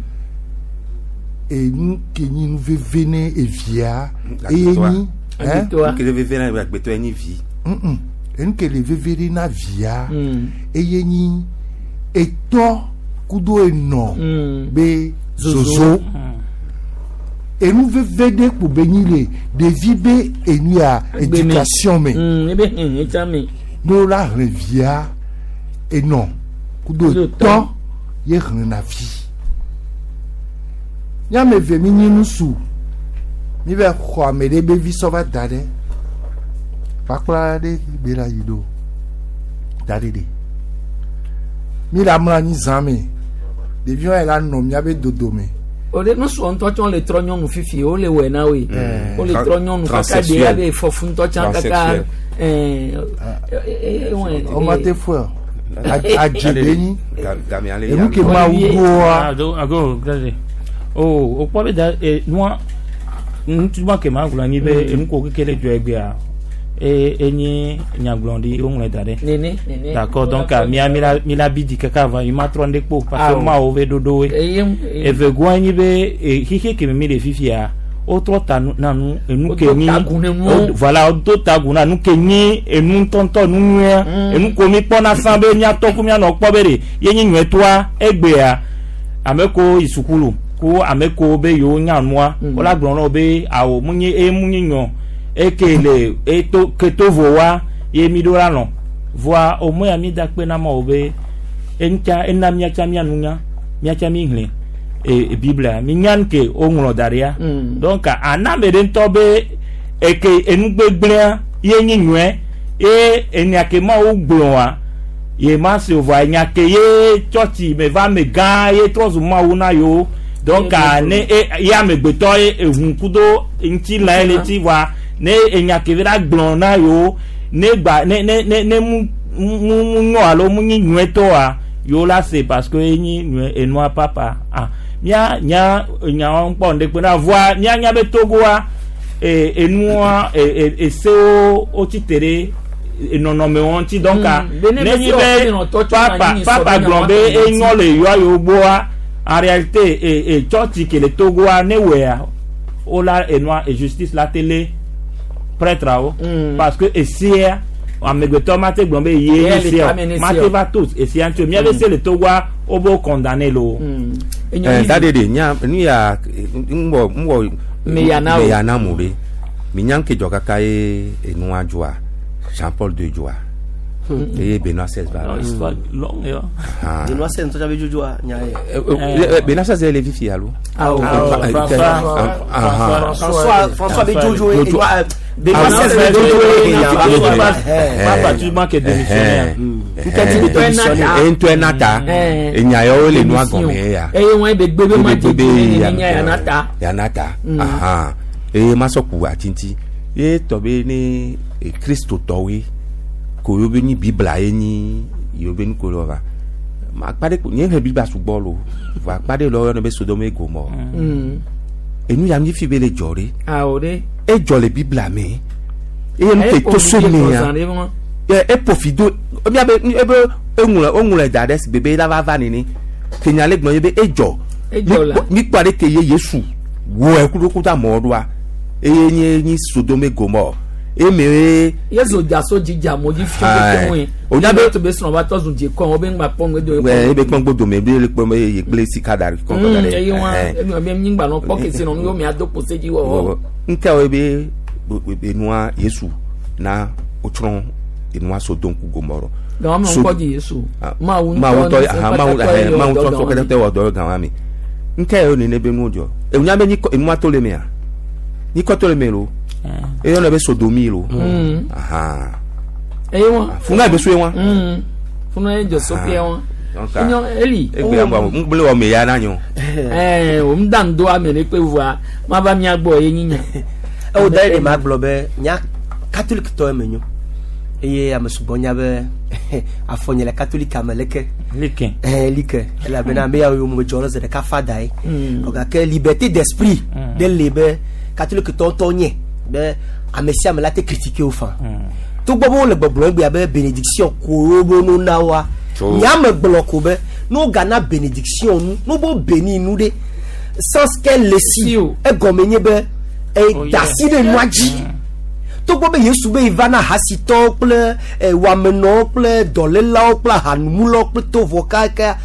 enu ke nyi nu veve ne evia eye Agbetɔa. nyi hein? Agbetɔa. Kele veve na agbetɔ ye nyi vi. Mm-mm. enu ke le veve ɖe na via Mm. eye nyi etɔ kudo enɔ Mm. be Zozo. zozo enu veve ɖe kpo be nyi le ɖevi be enu ya Agbe me. éducation me Mm. Ebe hehe tsa me. ne wo la hlẽ via enɔ kudo Kudo etɔ tɔ. ye hlẽna vi míame eve mi nyi nusu mi va xɔ ame ɖe be vi sɔ va da ɖe kpakpla ɖe be la yi ɖo da ɖe ɖe mi la mlɔ anyi zã me ɖeviwo yi la nɔ miabe dodome O de nusuɔ ŋutɔ tsɛ le trɔ nyɔnu fifi o le wɔe na woe. O le trɔ nyɔnu kaka de Transsexuel. abe fɔfu ŋutɔ tsã kaka. Transsexuel. Ɛɛ ɛ ɛ wɔma te fɔe o adze be nyi Game ale enu ke ma wu doa ago ago gade o o kpɔ be da e nua ŋutsu ke ma gblɔ anyi be enu ko keke le dzɔ egbea e enye nyagblɔɖi woŋlɔe da ɖe Nene nene. d'accord donc ah, mia mi la mi la bi di kaka va mi ma trɔ ŋɖe kpo parce Ah, que mawo be ɖoɖowoe Eye eve goa nyi be e, xixe ke me mi le fifia wotrɔ ta nu na nu enu ke Wodo nyi tagu ne nuwo. wo- voilà wodo tagu na nu ke nyi enu ŋutɔŋutɔ nu nyuia Mm. enu ko mi kpɔna sã be miatɔ ko mianɔ kpɔ be ɖe ye nyi nyuietɔa egbea ame ko yi sukulu ko ame ko be yewo nya nua Mm. wola gblɔ na wo be awo mu nyi eye mu nyi nyɔ eke le eto ke to vo wa ye mi ɖo la lɔ voa o mo ya mi da kpe na ma wo be Eŋutsa ena miatsa mianunya miatsa mi hlẽ e Biblia mi nya nu ke woŋlɔ da ɖia. Donc ana ame ɖe ŋutɔ be eke enugbegblẽa ye nyi nyuie ye enya ke Mawu gblɔa ye ma se o vɔa enya ke ye tsɔtsi me va ame gã ye trɔ zu Mawu na yewo. Donc ne e ye amegbetɔ ye ehun kudo ŋutilã ye le ŋuti vɔa ne enya ke va la gblɔ na yewo ne gba ne ne ne ne mu mu mu nyɔ alo mu nyi nyuietɔa yewo la se parce que enyi nyuie enua papa ah mía nya nyawo kpɔ ŋɖe kpe na voa mía nya be Togoa e enua e e esewo wotsi te ɖe nɔnɔmewo ŋuti donc ne nyi be papa papa gblɔ be enyɔ le yɔa yewo gbɔa en réalité e e tsɔtsi ke le Togoa ne wɔa wola enua e justice la télé prêtre-awo parce que esia amegbetɔ ma te gblɔ be ye nye sia ma te va to esia ŋuti o mía be se le Togoa wo be condamné lo. Eh, da de de nya nu ya ŋwɔ ŋwɔ Meyana o. meyana mu ɖe mi nya ŋke dzɔ kaka ye enua dzɔa Jean Paul deux dzɔa eye Benoît seize va. Non, histoire longue yo. Ah. Benoît seize ŋutɔ be dzodzroa nya ye. Eh, eh, eh, Benoît seize le fifi alo. Awo. Ah, Eh, François, ah, ah, François François be dzodzo ye Dzodzo. Benoît Benoît Ah, seize oui. be dzodzo ye Ah, nya oui. va. Eh, Papa tu manques démissionnaire. Nketi be démissionné. Eh, ŋutɔe na ta Eh. enya yawo le nua gɔme ya. Eye wɔn be gbe be ma Be- be- dze ne nya ya na ta. yana ta ahan eye ma sɔ ku atiti ye tɔ be ne e, kristotɔwoe ko yewo be nyi bibla ye nyi yewo be nuko le va ma akpa ɖe ko nye he bibla sugbɔ lo vɔ akpa ɖe le woyɔna be Sodome et Gomorrhe enu ya mi fi be le dzɔ ɖe Awo ɖe. edzɔ le bibla me eye nu ke to so mea ɛ eƒofi do miabe ebe eŋlɔ eŋlɔ da ɖe si bebe la va va nene kenya le gblɔ ye be edzɔ Edzɔ la. mi kpɔ ɖe ke ye Yesu wɔ ɛku ɖo kuta mɔ ɖoa eye nye nyi Sodome Gomorrhe eme ye Yesu dza so dzidza mo dzi fi Ayi. ke ŋue. O nya be- to be srɔ̃ va tɔ zu dze kɔ wo be ŋgba kpɔ ŋgbe do ɛ ebe kpɔn gbodome be le kpɔn be ye gble sika da ɖe kɔn da ɖe eye wa ɛhɛn. enu be nyigba nɔ kpɔ kese nɔ nu yo mia do kpose dzi wɔwɔ. ŋkɛwo be be enua Yesu na wotsrɔ̃ enua Sodome ku Gomorrhe Gama me So- ŋkɔ dzi Yesu. Mawu Mawu ŋutɔ tɔ aha Mawu ɛhɛn, Mawu tɔ sɔ kɛtɛ wɔ dɔ gama mi ŋkɛ yɔ nene be nuwo dzɔ ewunya be nyikɔ enua to le mea nyikɔ to le me lo eyɔna be Sodomi lo ahan Eye wa. funga be so ye wa Funu ye dzɔ so ke wa. Donc, Enyo Eli. egbe ya ŋgɔ ŋgble wɔ me ya na nyɔ Ɛɛ o ŋda ŋdo ame ɖe kpe vɔa ma va mia gbɔ ye nyinya. Ewo da ye ma gblɔ be nya catholique tɔ eme nyo eye ame sugbɔ nya be afɔ nye le catholique ame leke. Leke. Eh, like elabena ame yawo yome dzɔ ɖe zi ɖeka fa da ye gake liberté d'esprit ɖe le be catholique tɔ ŋutɔ nye be ame sia ame la te critiquer wo fã togbɔ be wole gbɔgblɔ egbea be bénédiction ko wo be no na woa Tso. nya me gblɔ ko be ne wogana bénédiction nu ne wo béni nu ɖe sans qu'elle le si Si o. egɔme nye be eda asi ɖe nua dzi togbɔ be Yesu be yi va na hasitɔwo kple eh, wɔamenɔwo kple dɔlélawo kple ahanumulawo kple tovɔ kaka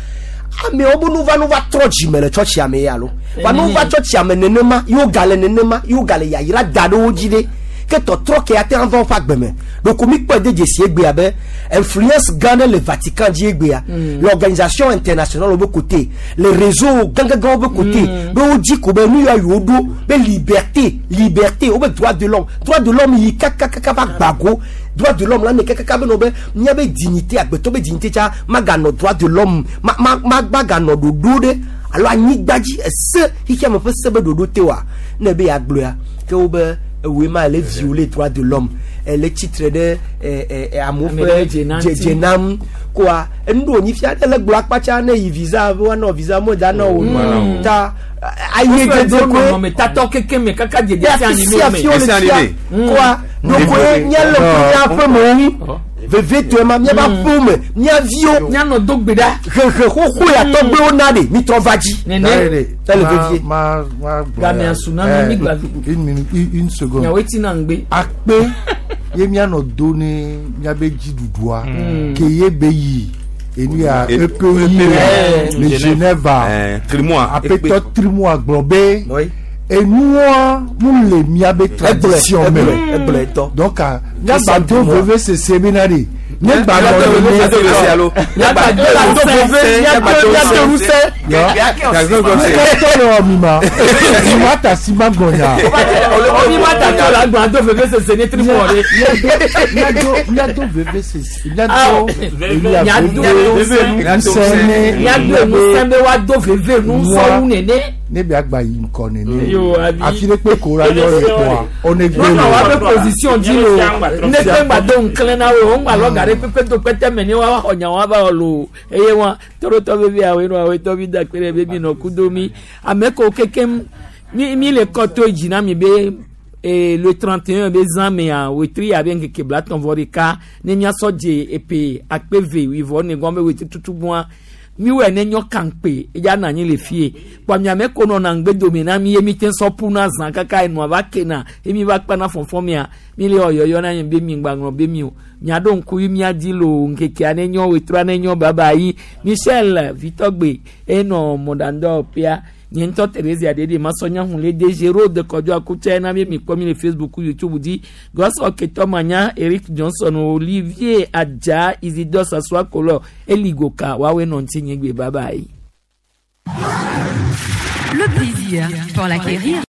amewo be nu va nu va trɔ dzime le tsɔtsia me ya lo va nu va tsɔtsia me nenema yewo gale nenema yewo gale yayra da ɖe wo dzi ɖe ke tɔtrɔ ke ate ŋu ava woƒe agbe me ɖeko mi kpɔe de dzesi egbea be influence gã ɖe le Vatican dzi egbea l'organisation internationale be côté le réseau gãgãgãwo be côté be wodzi ko be nu ya yewo ɖo be liberté liberté wobe droit de l'homme droit de l'homme yi kakakaka va gbago droit de l'homme la ne kakaka be nɔ be míabe dignité agbetɔ be dignité tsa maganɔ droit de l'homme ma ma ma maganɔ ɖoɖo ɖe alo anyigba dzi ese xixia me ƒe se be ɖoɖo te wa ne be yeagblɔa ke wo be ewoe ma ele violer droit de l'homme ele tsitre ɖe ɛ ɛ ɛ amewo Ame ƒe ɖe dze dze dzenam koa enu ɖo wònyi fia ne le gblɔ akpatsa ne yi visa be woanɔ visa mo da nɔ wo ta ayi dzedze koe nɔnɔmetatɔ keke me kaka dzedze ya si fi anime sia me. fi wo le Esi fia anime. koa ɖokoe míele ƒe míaƒe me ŋu vevitɔe ma míaƒe aƒewo me mía viwo Mianɔ do gbe ɖa. hehe xoxo ya tɔgbewo na ɖe mitrɔ va dzi. Nene. Elle Ma- vevie. ma- ma gblɔ Game ya. asu na mi Eh, gba- Une minute, une une seconde. Nyawoe tina ŋgbe. Akpe ye mianɔ do ne miabe dziɖuɖua ke ye be yi enu ya E- epe yi Eh. le Geneva ɛɛ trimua aƒetɔ trimua gblɔ be Oui. enua mu le miabe Egblɔe tradition me egblɔe egblɔe tɔ. donc ah, miagba do veve sese bena ɖe Ne gba nɔ nene. Kɛtɔ le mi ma. Mi ma ta si ma gbɔnya. Mi ma ta tɔ la gbɔn ado veve sese ne tri mɔ de. Miado miado veve sese. Miado Miado ŋusẽ ne. Miado ŋusẽ be woado veve nu sɔwu nene. Ne bia gba yi ŋkɔ nene. Yo, abi. Afi ɖe kpe ko la yɔ le kpɔa. One gbe Nɔnɔ wa le. be position dzi lo ne kpe ŋgba do ŋklẽ na wo ŋgba lɔ ga ɖe kpekpe do kpɛtɛ mɛ ne wa xɔ nya wa va wɔ lo eye wa torotɔ vevi awo nɔ awo tɔ mi da kpe ɖe be mi nɔ kudo mi ame ko kekem mi mi le kɔtɔ dzi na mi be ee le trente et un be zã mea wetri abe ŋkeke blatɔn vɔ ɖeka ne miasɔ dze epe akpe ve wivɔ ne gɔn be wetri tutu gbɔa miwɔe ne nyɔ kankpe edza na anyi le fie kpɔ miame ko nɔna ŋgbedome na mi ye mi te sɔ ƒu na zã kaka enua va kena ye mi va kpana fɔfɔ mia mi le ɔyɔyɔ na nye be mi ŋgba ŋlɔ be mi o miaɖo ŋku yi miadi lo ŋkekea ne nyɔ wetrɔa ne nyɔ baba yi Michel Vitɔgbe enɔ mɔɖaŋdɔ pia nye ŋutɔ Therese aɖeɖe masɔnya hun le de Géraud Kɔdɔ Akutse na mi mi kpɔ mi le Facebook YouTube dzi Gɔsɔ Ketɔ Manya Eric Johnson Olivier Adja Isidore Sasua Kolɔ Eligoka woawoe nɔ ŋuti nye gbe baba yi. Le plaisir, pour l'acquérir.